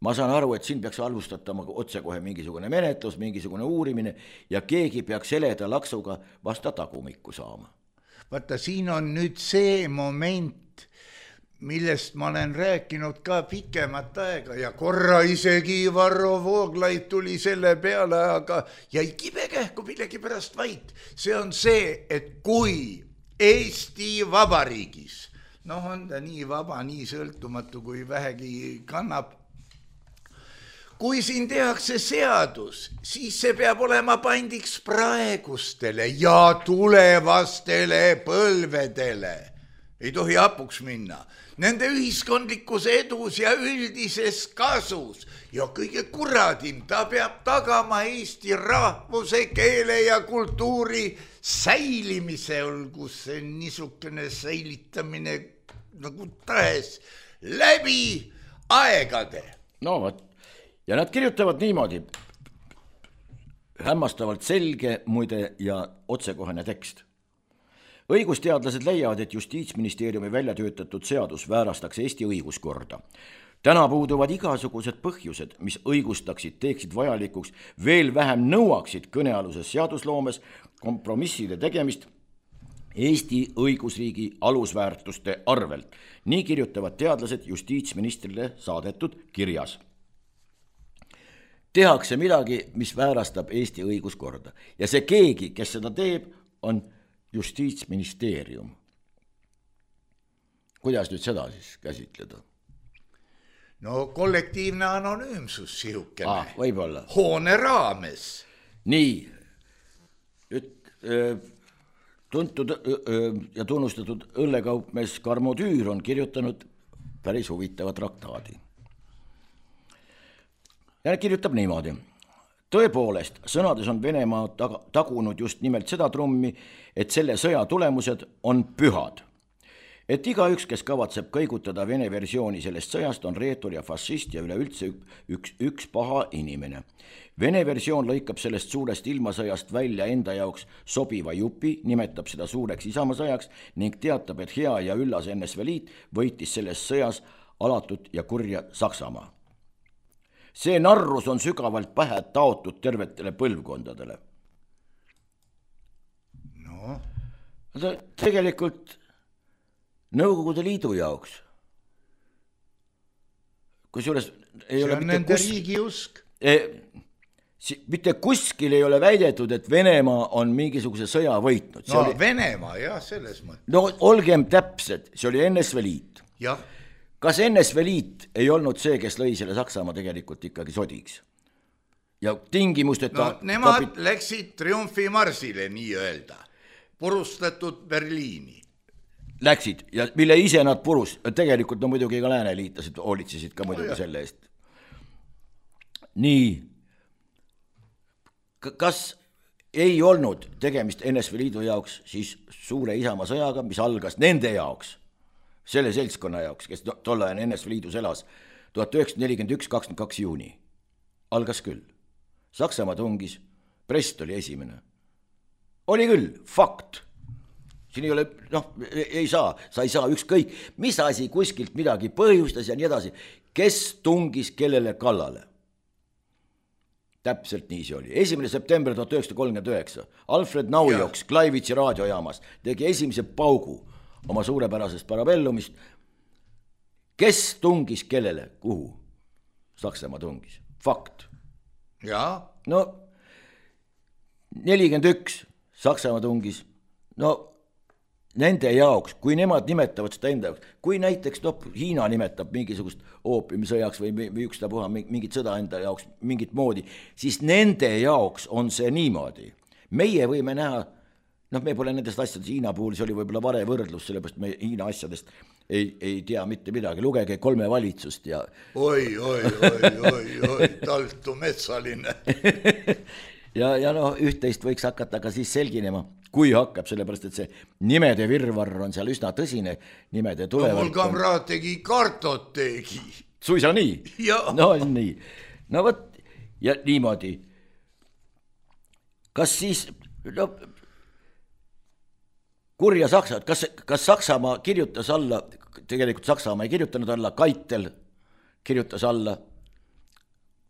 ma saan aru, et siin peaks alustatama otse kohe mingisugune menetlus, mingisugune uurimine ja keegi peaks heleda laksuga vasta tagumikku saama. Vaata, siin on nüüd see moment, millest ma olen rääkinud ka pikemat aega ja korra isegi Varro Vooglaid tuli selle peale, aga jäi kibekähku millegi pärast vait. See on see, et kui Eesti Vabariigis, on ta nii vaba, nii sõltumatu, kui vähegi kannab. Kui siin tehakse seadus, siis see peab olema pandiks praegustele ja tulevastele põlvedele. Ei tohi hapuks minna. Nende ühiskondlikus edus ja üldises kasus. Ja kõige kuradim, ta peab tagama Eesti rahvuse, keele ja kultuuri säilimise, olgu see niisugune säilitamine nagu tahes läbi aegade. No võt, ja nad kirjutavad niimoodi. hämmastavalt selge, muide ja otsekohene tekst. Õigusteadlased leiavad, et Justiitsministeeriumi välja töötatud seadus väärastaks Eesti õiguskorda. Täna puuduvad igasugused põhjused, mis õigustaksid, teeksid vajalikuks, veel vähem nõuaksid kõnealuses seadusloomes kompromisside tegemist Eesti õigusriigi alusväärtuste arvelt. Nii kirjutavad teadlased justiitsministrile saadetud kirjas. Tehakse midagi, mis väärastab Eesti õiguskorda ja see keegi, kes seda teeb, on Justiitsministeerium. Kuidas nüüd seda siis käsitleda? No kollektiivne anonüümsus sihukene. Võib-olla. Hoone raames. Nii, tuntud ja tunnustatud õllekaupmees Karmo Tüür on kirjutanud päris huvitava traktaadi. Ja kirjutab niimoodi. Tõepoolest, sõnades on Venemaa tagunud just nimelt seda trummi, et selle sõja tulemused on pühad. Et igaüks, kes kavatseb kõigutada Vene versiooni sellest sõjast, on reetur ja fašist ja üleüldse üks paha inimene. Vene versioon lõikab sellest suurest ilmasõjast välja enda jaoks sobiva jupi, nimetab seda suureks isamasõjaks ning teatab, et hea ja üllas NSV Liit võitis selles sõjas alatut ja kurja Saksamaa. See narrus on sügavalt pähe taotud tervetele põlvkondadele. No. Tegelikult Nõukogude Liidu jaoks. Kusjuures ei ole nende riigiusk. Mitte kuskil ei ole väidetud, et Venemaa on mingisuguse sõja võitnud. No Venemaa, jah, selles mõttes. No olgem täpsed, see oli NSV Liit. Jah. Kas NSV Liit ei olnud see, kes lõi selle Saksamaa tegelikult ikkagi sodiks? Ja tingimusteta... No nemad läksid triumfimarsile nii öelda. Purustatud Berliini. Läksid ja mille ise nad purus. Tegelikult no muidugi ka lääneliitlased hoolitsesid ka muidugi selle eest. Nii. Kas ei olnud tegemist NSV Liidu jaoks siis suure isamaa sõjaga, mis algas nende jaoks? Selle seltskonna jaoks, kes tollajan NSV Liidus elas 1941. 22. juuni. Algas küll. Saksamaa tungis, Brest oli esimene. Oli küll, fakt. Siin ei ole, sa ei saa ükskõik, mis asi kuskilt midagi põhjustas ja nii edasi. Kes tungis kellele kallale? Täpselt nii see oli. 1. september 1939. Alfred Naujoks Klaivitsi raadiojaamas tegi esimese paugu oma suurepärasest parabellumist. Kes tungis kellele? Kuhu? Saksamaa tungis. Fakt. Jaa. No 41 Saksamaa tungis. No nende jaoks, kui nemad nimetavad seda enda jaoks, kui näiteks Hiina nimetab mingisugust oopiumisõjaks või ükstapuha mingit sõda enda jaoks mingit moodi, siis nende jaoks on see niimoodi. Meie võime näha, me pole nendest asjadest Hiina puhul, see oli võib-olla vare võrdlus, sellepärast me Hiina asjadest ei tea mitte midagi. Lugege 3 valitsust ja... Oi, taltu metsaline. ja üht-teist võiks hakata ka siis selginema, kui hakkab, sellepärast, et see nimede virvarr on seal üsna tõsine, nimede tulevad. No mul kamraad tegi kartoteegi. Suisa nii? Jaa. No nii. No võt, ja niimoodi. Kas siis, kurja Saksa, kas Saksamaa kirjutas alla, tegelikult Saksamaa ei kirjutanud alla, Kaitel kirjutas alla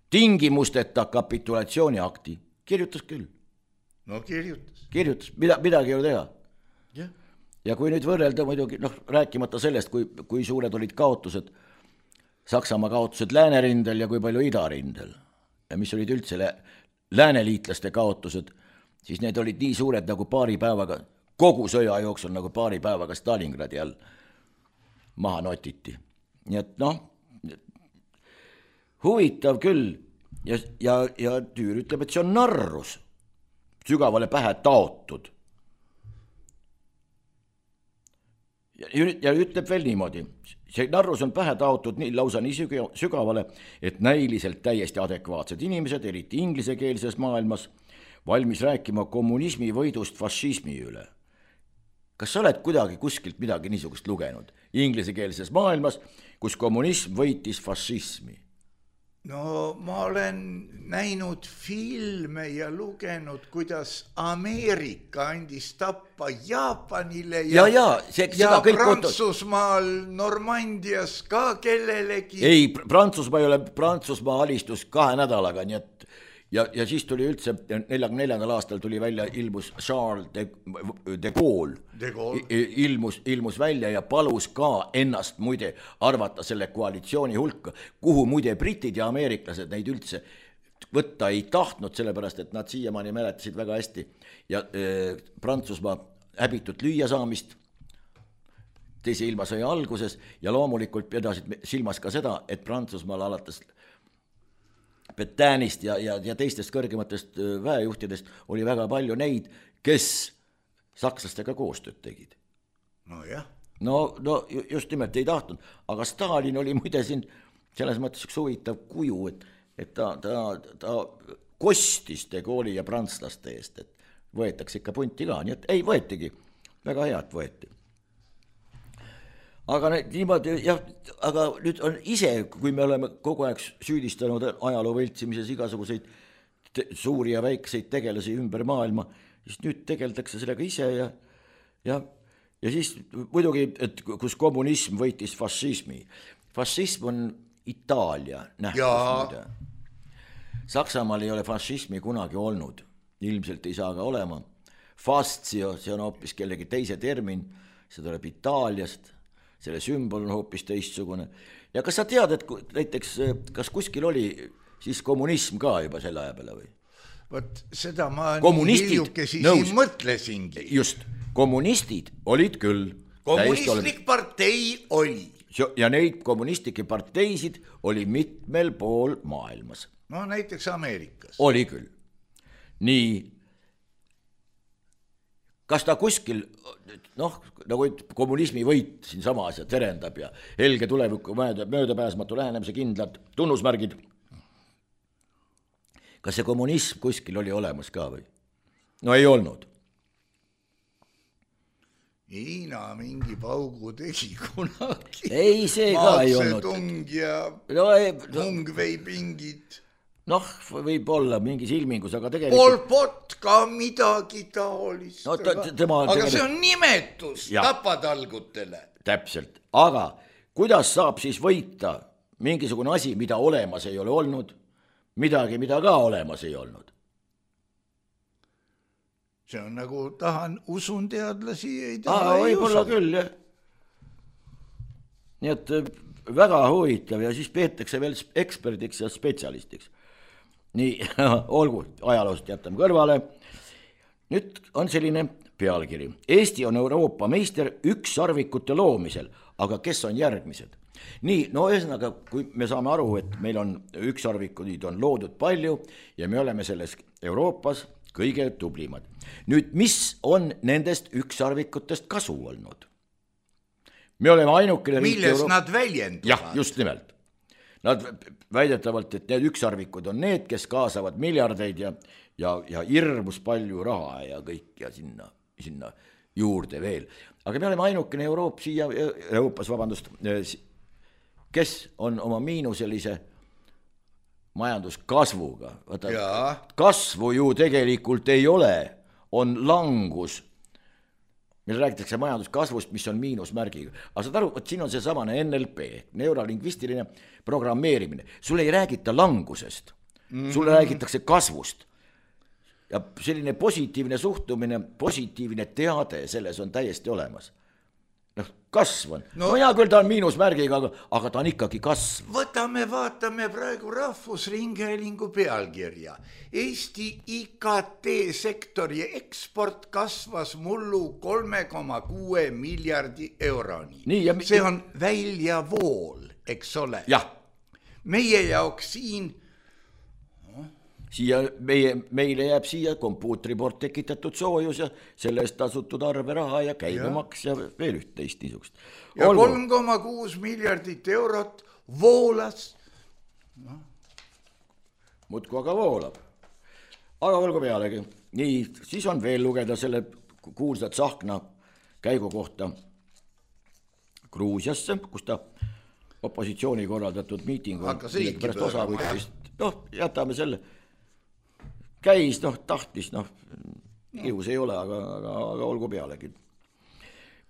tingimusteta kapitulatsiooniakti. Kirjutas küll. No kirjutas. Kirjutas, midagi ei ole teha. Yeah. Ja kui nüüd võrrelda muidugi, rääkimata sellest, kui suured olid kaotused, Saksamaa kaotused lääneriindel ja kui palju idarindel, ja mis olid üldse lääneliitlaste kaotused, siis need olid nii suured nagu paari päevaga, kogu sõja jooksul nagu paari päevaga Stalingradi all maha notiti. Nii et huvitav küll ja Tüür ütleb, et see on narrus. Sügavale pähe taotud. Ja ütleb veel niimoodi, see narrus on pähe taotud lausa nii sügavale, et näiliselt täiesti adekvaatsed inimesed, eriti inglisekeelses maailmas, valmis rääkima kommunismi võidust fašismi üle. Kas sa oled kuidagi kuskilt midagi niisugust lugenud? Inglisekeelses maailmas, kus kommunism võitis fašismi. No ma olen näinud filme ja lugenud, kuidas Ameerika andis tappa Jaapanile ja Prantsusmaal Normandias ka kellelegi. Ei, Prantsusmaa ei ole, Prantsusmaa alistus 2 nädalaga, nii et ja siis tuli üldse 44. aastal tuli välja, ilmus Charles de Gaulle. Ilmus välja ja palus ka ennast muide arvata selle koalitsiooni hulka, kuhu muide britid ja ameeriklased neid üldse võtta ei tahtnud, sellepärast et nad siiamaani mäletasid väga hästi ja Prantsusmaa häbitut lüüasaamist teise ilmasõja alguses ja loomulikult pidasid silmas ka seda, et Prantsusmaal alates Petäänist ja teistest kõrgematest väejuhtidest oli väga palju neid, kes sakslastega koostööd tegid. No jah. No just nimelt ei tahtnud, aga Stalin oli muide siin selles mõttes üks huvitav kuju, et ta kostis de Gaulle'i ja prantslaste eest, et võetakse ikka punti ka, nii et ei võetigi, väga head võeti. Aga niimoodi, jah, aga nüüd on ise, kui me oleme kogu aeg süüdistanud ajaloo võltsimises igasuguseid suuri ja väikseid tegelasi ümber maailma, siis nüüd tegeldakse sellega ise ja siis muidugi, et kus kommunism võitis fašismi. Fašism on Itaalia nähtus. Saksamaal ei ole fašismi kunagi olnud, ilmselt ei saa ka olema. Fastio, see on hoopis kellegi teise termin, see tuleb Itaaliast. Selle sümbol on hoopis teistsugune. Ja kas sa tead, et näiteks, kas kuskil oli siis kommunism ka juba selle aja peale või? Võt, seda ma hiljukesi siin mõtlesingi. Just, kommunistid olid küll. Kommunistlik partei oli. Ja neid kommunistlikke parteisid oli mitmel pool maailmas. No näiteks Ameerikas. Oli küll. Nii, kas ta kuskil, nagu kommunismi võit siin samas ja terendab ja helge tuleviku möödapääsmatu lähenemise kindlad tunnusmärgid. Kas see kommunism kuskil oli olemas ka või? No ei olnud. Hiina mingi paugu tegi kunagi. Ei, see ka ei olnud. Maatsetung ja Mungvei-pingid. Võib olla mingis ilmingus, aga tegelikult... Pol Pot ka midagi taolist. Aga see on nimetus tapatalgutele. Täpselt. Aga kuidas saab siis võita mingisugune asi, mida olemas ei ole olnud, midagi, mida ka olemas ei olnud? See on nagu usun teadlasi, ei taha ei võib-olla küll, jah. Nii et väga huvitav ja siis peetakse veel eksperdiks ja spetsialistiks. Nii, olgu, ajaloost jätame kõrvale. Nüüd on selline pealkiri. Eesti on Euroopa meister ükssarvikute loomisel, aga kes on järgmised? Nii, ühesõnaga, kui me saame aru, et meil on ükssarvikuid on loodud palju ja me oleme selles Euroopas kõige tublimad. Nüüd, mis on nendest ükssarvikutest kasu olnud? Me oleme ainukene riik milles nad väljenduvad? Jah, just nimelt. Nad väidetavalt, et need ükssarvikud on need, kes kaasavad miljardeid ja hirmus palju raha ja kõik ja sinna juurde veel. Aga me oleme ainukene Euroopas, kes on oma miinuselise majanduskasvuga. Kasvu ju tegelikult ei ole, on langus. Meil räägitakse majanduskasvust, mis on miinusmärgiga. Aga saad aru, siin on see samane NLP, neurolingvistiline programmeerimine. Sulle ei räägita langusest, sulle räägitakse kasvust. Ja selline positiivne suhtumine, positiivne teade selles on täiesti olemas. Kasv on. Hea küll, ta on miinusmärgiga, aga ta on ikkagi kasv. Vaatame praegu Rahvusringhäälingu pealkirja. Eesti IKT sektori eksport kasvas mullu 3,6 miljardi euroni. See on väljavool, eks ole? Jah. Meie jaoks siin... Meile jääb siia kompuutri poolt tekitatud soojus ja selle eest tasutud arveraha ja käibemaks ja veel üht teist niisugust. Ja 3,6 miljardit eurot voolas. Muudku aga voolab. Aga olgu pealegi. Nii, siis on veel lugeda selle kuulsat Tsahkna käigu kohta Gruusiasse, kus ta opositsiooni korraldatud miitingu, pärast osa võttis, jätame selle, käis, tahtis, ilus ei ole, aga olgu pealegi.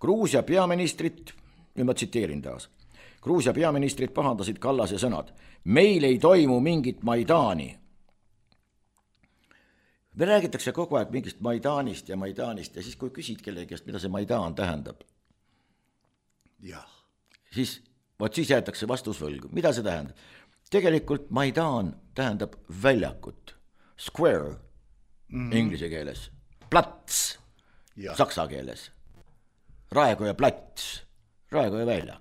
Gruusia peaministrit, nüüd ma tsiteerin taas, Gruusia peaministrit pahandasid Kallase sõnad, meil ei toimu mingit Maidani. Me räägitakse kogu aeg mingist Maidanist ja siis kui küsid kellegi käest, mida see Maidan tähendab, siis jäetakse vastus võlgu. Mida see tähendab? Tegelikult Maidan tähendab väljakut, square inglise keeles, plats saksa keeles, Raekoja plats, Raekoja väljak.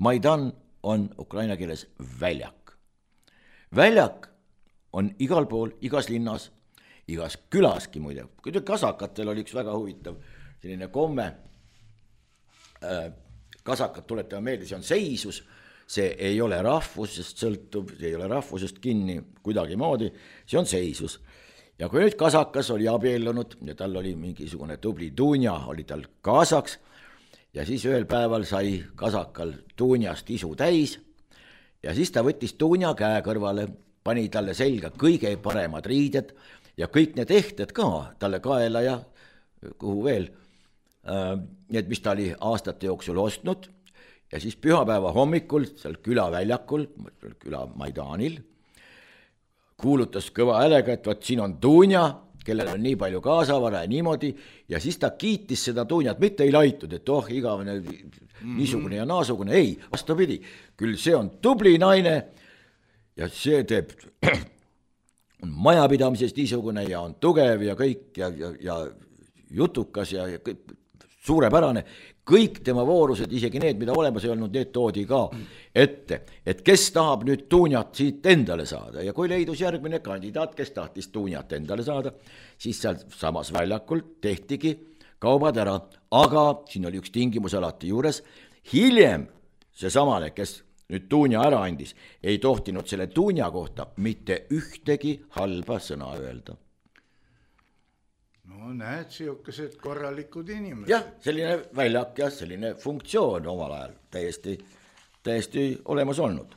Maidan on ukraina keeles väljak. Väljak on igal pool, igas linnas, igas külaski muide. Kasakatel oli üks väga huvitav selline komme, kasakad tuletame meelde, see on seisus, see ei ole rahvusest sõltub, see ei ole rahvusest kinni kuidagi moodi, see on seisus. Ja kui nüüd kasakas oli abiellunud ja tal oli mingisugune tubli tuunja, oli tal kaasaks ja siis ühel päeval sai kasakal tuunjast isu täis ja siis ta võttis tuunja käe kõrvale, pani talle selga kõige paremad riided ja kõik need ehted ka talle kaela ja kuhu veel, need, mis ta oli aastate jooksul ostnud ja siis pühapäeva hommikul seal külaväljakul, küla Maidanil, kuulutas kõva häälega, et võt siin on tuunja, kellel on nii palju kaasavara ja niimoodi ja siis ta kiitis seda tuunjat, mitte ei laitud, et igavene niisugune ja naasugune, ei, vastupidi, küll see on tubli naine ja see teeb on majapidamisest niisugune ja on tugev ja kõik ja jutukas ja kõik, suurepärane, kõik tema voorused, isegi need, mida olemas ei olnud, need toodi ka ette, et kes tahab nüüd tuunjat siit endale saada ja kui leidus järgmine kandidaat, kes tahtis tuunjat endale saada, siis seal samas väljakul tehtigi kaubad ära, aga siin oli üks tingimus alati juures, hiljem see samane, kes nüüd tuunja ära andis, ei tohtinud selle tuunja kohta mitte ühtegi halba sõna öelda. No näed, siukesed korralikud inimesed. Jah, selline väljak ja selline funktsioon omal ajal täiesti olemas olnud.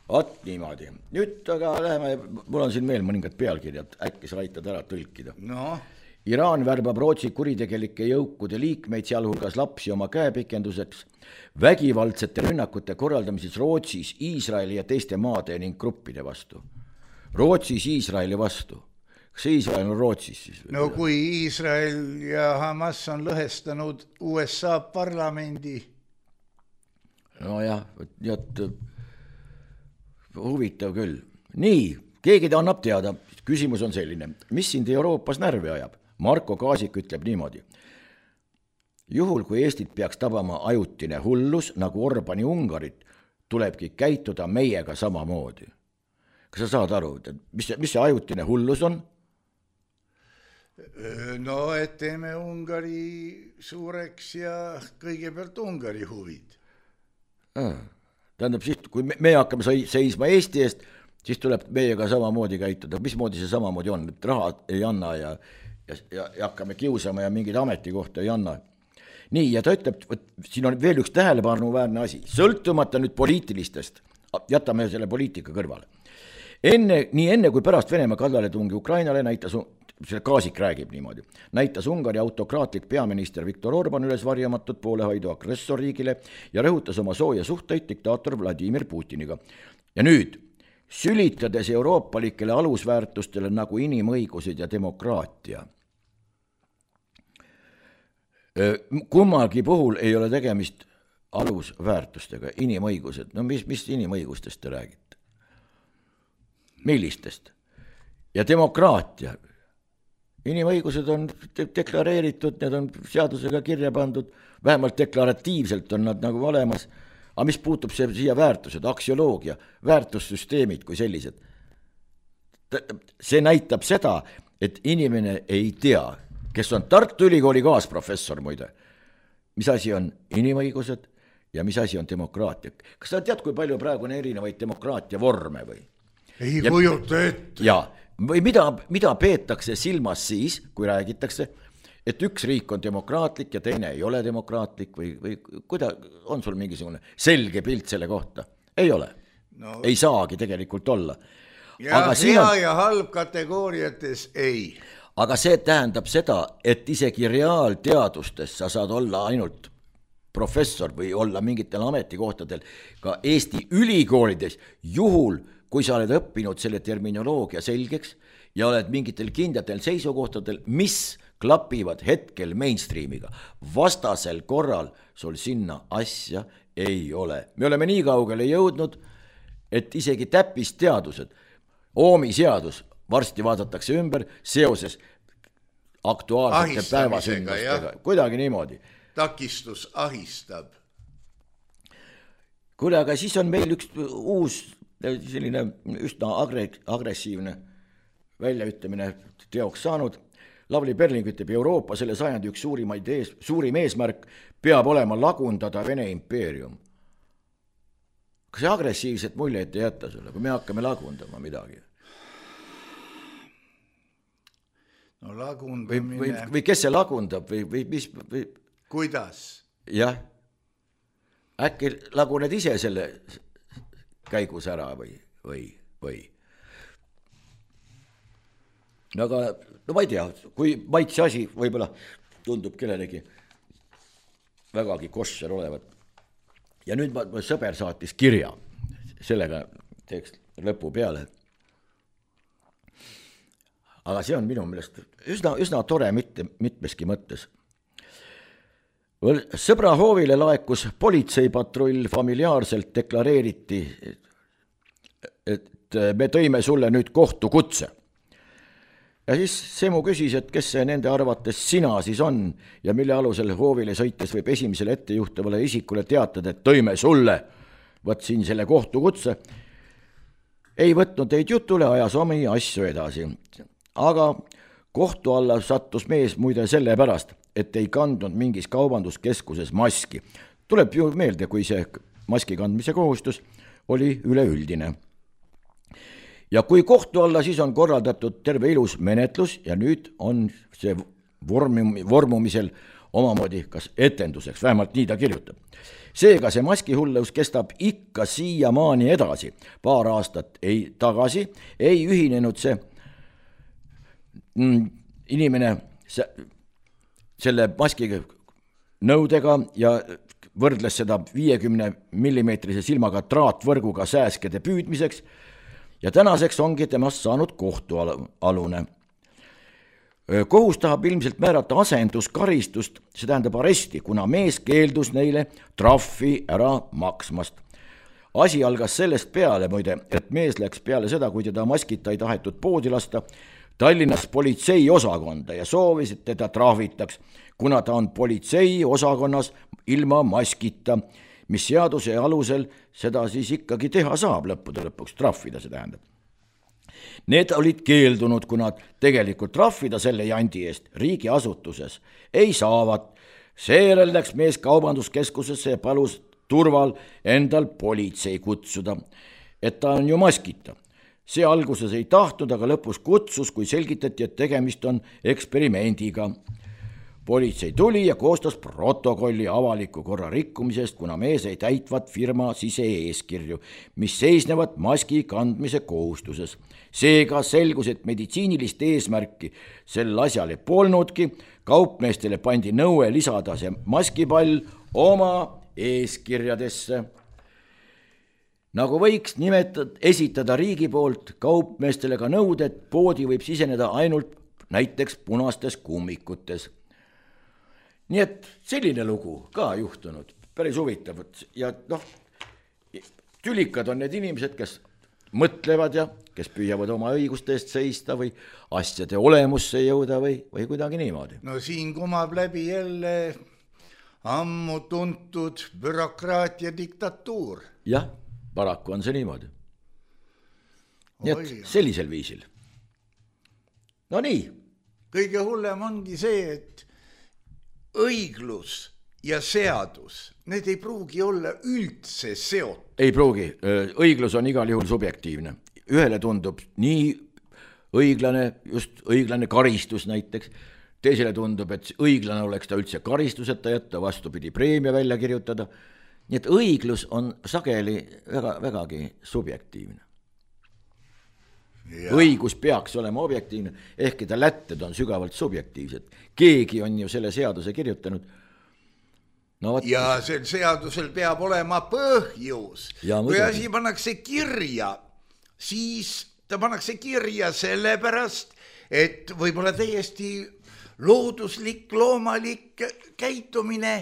Vot niimoodi. Nüüd aga läheme, mul on siin veel mõningad pealkirjad, äkki sa aitad ära tõlkida. No. Iraan värbab Rootsi kuritegelike jõukude liikmeid, sealhulgas lapsi oma käepikenduseks, vägivaldsete rünnakute korraldamises Rootsis, Iisraeli ja teiste maade ning gruppide vastu. Rootsis Iisraeli vastu. Kas Iisrael on Rootsis siis? No kui Iisrael ja Hamas on lõhestanud USA parlamendi. No jah, huvitav küll. Nii, keegi ta annab teada. Küsimus on selline, mis sind Euroopas närvi ajab? Marko Kaasik ütleb niimoodi. Juhul, kui Eestit peaks tabama ajutine hullus, nagu Orbani Ungarit, tulebki käituda meiega samamoodi. Kas sa saad aru, mis see ajutine hullus on? No, et teeme Ungari suureks ja kõigepealt Ungari huvid. Tähendab, siis, kui me hakkame seisma Eesti eest, siis tuleb meiega samamoodi käituda. Mismoodi see samamoodi on? Et raha ei anna ja hakkame kiusama ja mingid ametikohta ei anna. Nii, ja ta ütleb, siin on veel üks tähelepanuväärne asi. Sõltumata nüüd poliitilistest, jätame selle poliitika kõrvale. Nii enne kui pärast Venemaa kallaletungi Ukrainale näitas, selle Kaasik räägib niimoodi, näitas Ungari autokraatlik peaminister Viktor Orban üles varjamatut poolehoidu agressorriigile ja rõhutas oma sooja suhteid diktaator Vladimir Putiniga. Ja nüüd, sülitades euroopalikele alusväärtustele nagu inimõigused ja demokraatia. Kummalgi puhul ei ole tegemist alusväärtustega, inimõigused. No mis inimõigustest te räägite? Millistest? Ja demokraatia. Inimõigused on deklareeritud, need on seadusega kirja pandud, vähemalt deklaratiivselt on nad nagu olemas, aga mis puutub siia väärtused, aksioloogia, väärtussüsteemid kui sellised. See näitab seda, et inimene ei tea, kes on Tartu Ülikooli kaasprofessor muide, mis asi on inimõigused ja mis asi on demokraatia. Kas sa tead, kui palju praegu on erinevaid demokraatia vorme või? Ei kujuta ette. Jaa. Või mida peetakse silmas siis, kui räägitakse, et üks riik on demokraatlik ja teine ei ole demokraatlik või kuida on sul mingisugune selge pilt selle kohta? Ei ole. No. Ei saagi tegelikult olla. Ja aga hea ja halb kategooriates ei. Aga see tähendab seda, et isegi reaalteadustes sa saad olla ainult professor või olla mingitel ametikohtadel ka Eesti ülikoolides juhul, kui sa oled õppinud selle terminoloogia selgeks ja oled mingitel kindlatel seisukohtadel, mis klapivad hetkel mainstreamiga. Vastasel korral sul sinna asja ei ole. Me oleme nii kaugele jõudnud, et isegi täppisteadused, Oomi seadus varsti vaadatakse ümber seoses aktuaalsete päevasündmustega. Kuidagi niimoodi. Takistus ahistab. Kuule, aga siis on meil üks uus selline üsna agressiivne väljaütlemine teoks saanud. Lavly Perling ütleb, Euroopa selle sajandi üks suurim eesmärk peab olema lagundada Vene impeerium. Kas see agressiivset muljeid ei jätta sulle, kui me hakkame lagundama midagi? No lagundamine... Või kes see lagundab või mis... Või... Kuidas? Jah. Äkki laguned ise selle käigus ära või? No aga, no ma ei tea, kui maitse asi võib-olla tundub kellelegi vägagi kosser olevat. Ja nüüd ma sõber saatis kirja, sellega teeks lõpu peale. Aga see on minu meelest üsna tore mitmeski mõttes. Sõbra hoovile laekus politseipatrull, familiaarselt deklareeriti, et me tõime sulle nüüd kohtukutse. Ja siis Semu küsis, et kes see nende arvates sina siis on ja mille alusel hoovile sõites võib esimesele ettejuhtavale isikule teatada, et tõime sulle, võt siin selle kohtukutse. Ei võtnud teid jutule, ajas omi asju edasi. Aga kohtu alla sattus mees muide selle pärast, et ei kandnud mingis kaubanduskeskuses maski. Tuleb ju meelde, kui see maski kandmise kohustus oli üleüldine. Ja kui kohtu alla siis on korraldatud terve ilus menetlus ja nüüd on see vormumisel omamoodi kas etenduseks, vähemalt nii ta kirjutab. Seega see maskihullus kestab ikka siiamaani edasi. Paar aastat tagasi ei ühinenud see inimene selle maski nõudega ja võrdles seda 50 mm silmaga traatvõrguga sääskede püüdmiseks ja tänaseks ongi temast saanud kohtualune. Kohus tahab ilmselt määrata asenduskaristust, see tähendab aresti, kuna mees keeldus neile trahvi ära maksmast. Asi algas sellest peale, muide, et mees läks peale seda, kui teda maskita ei tahetud poodi lasta, Tallinnas politsei osakonda ja soovis, et teda trahvitaks, kuna ta on politsei osakonnas ilma maskita, mis seaduse alusel seda siis ikkagi teha saab lõppude lõpuks, trahvida see tähendab. Need olid keeldunud, kuna tegelikult trahvida selle jandi eest riigiasutuses ei saavat. Seejärel läks mees kaubanduskeskusesse ja palus turval endal politsei kutsuda, et ta on ju maskita. See alguses ei tahtnud, aga lõpus kutsus, kui selgitati, et tegemist on eksperimendiga. Politsei tuli ja koostas protokolli avaliku korra rikkumisest, kuna mees ei täitvat firma sise-eeskirju, mis seisnevad maski kandmise kohustuses. Seega selgus, et meditsiinilist eesmärki sel asjale polnudki, kaupmeestele pandi nõue lisada see maskipall oma eeskirjadesse. Nagu võiks esitada riigi poolt kaupmeestele ka nõuded, poodi võib siseneda ainult näiteks punastes kummikutes. Nii et selline lugu ka juhtunud, päris huvitav. Ja tülikad on need inimesed, kes mõtlevad ja kes püüavad oma õiguste eest seista või asjade olemusse jõuda või kuidagi niimoodi. No siin kumab läbi jälle ammu tuntud bürokraatia diktatuur. Jah. Paraku on see niimoodi. Nii et sellisel viisil. No nii. Kõige hullem ongi see, et õiglus ja seadus, need ei pruugi olla üldse seotud. Ei pruugi. Õiglus on igal juhul subjektiivne. Ühele tundub nii õiglane, just õiglane karistus näiteks, teisele tundub, et õiglane oleks ta üldse karistuseta jätta, vastupidi preemia välja kirjutada. Nii et õiglus on sageli vägagi subjektiivne. Ja. Õigus peaks olema objektiivne, ehkki ta lätted on sügavalt subjektiivsed. Keegi on ju selle seaduse kirjutanud. No, ja sel seadusel peab olema põhjus. Kui asi pannakse kirja, siis ta pannakse kirja sellepärast, et võib-olla täiesti looduslik, loomalik käitumine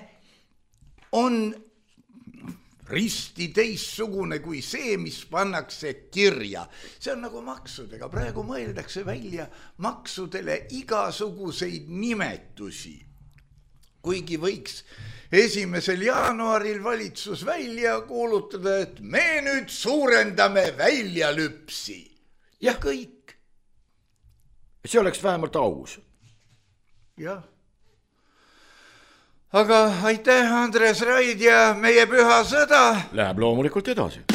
on risti teissugune kui see, mis pannakse kirja. See on nagu maksudega. Praegu mõeldakse välja maksudele igasuguseid nimetusi. Kuigi võiks 1. jaanuaril valitsus välja kuulutada, et me nüüd suurendame väljalüpsi. Ja kõik. See oleks vähemalt aus. Jah. Aga aitäh, Andres Raid ja meie püha sõda. Läheb loomulikult edasi.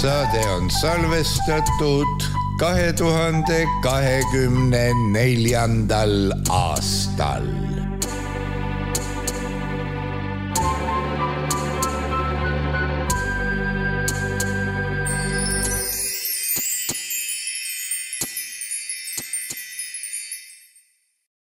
Saade on salvestatud 2024. aastal.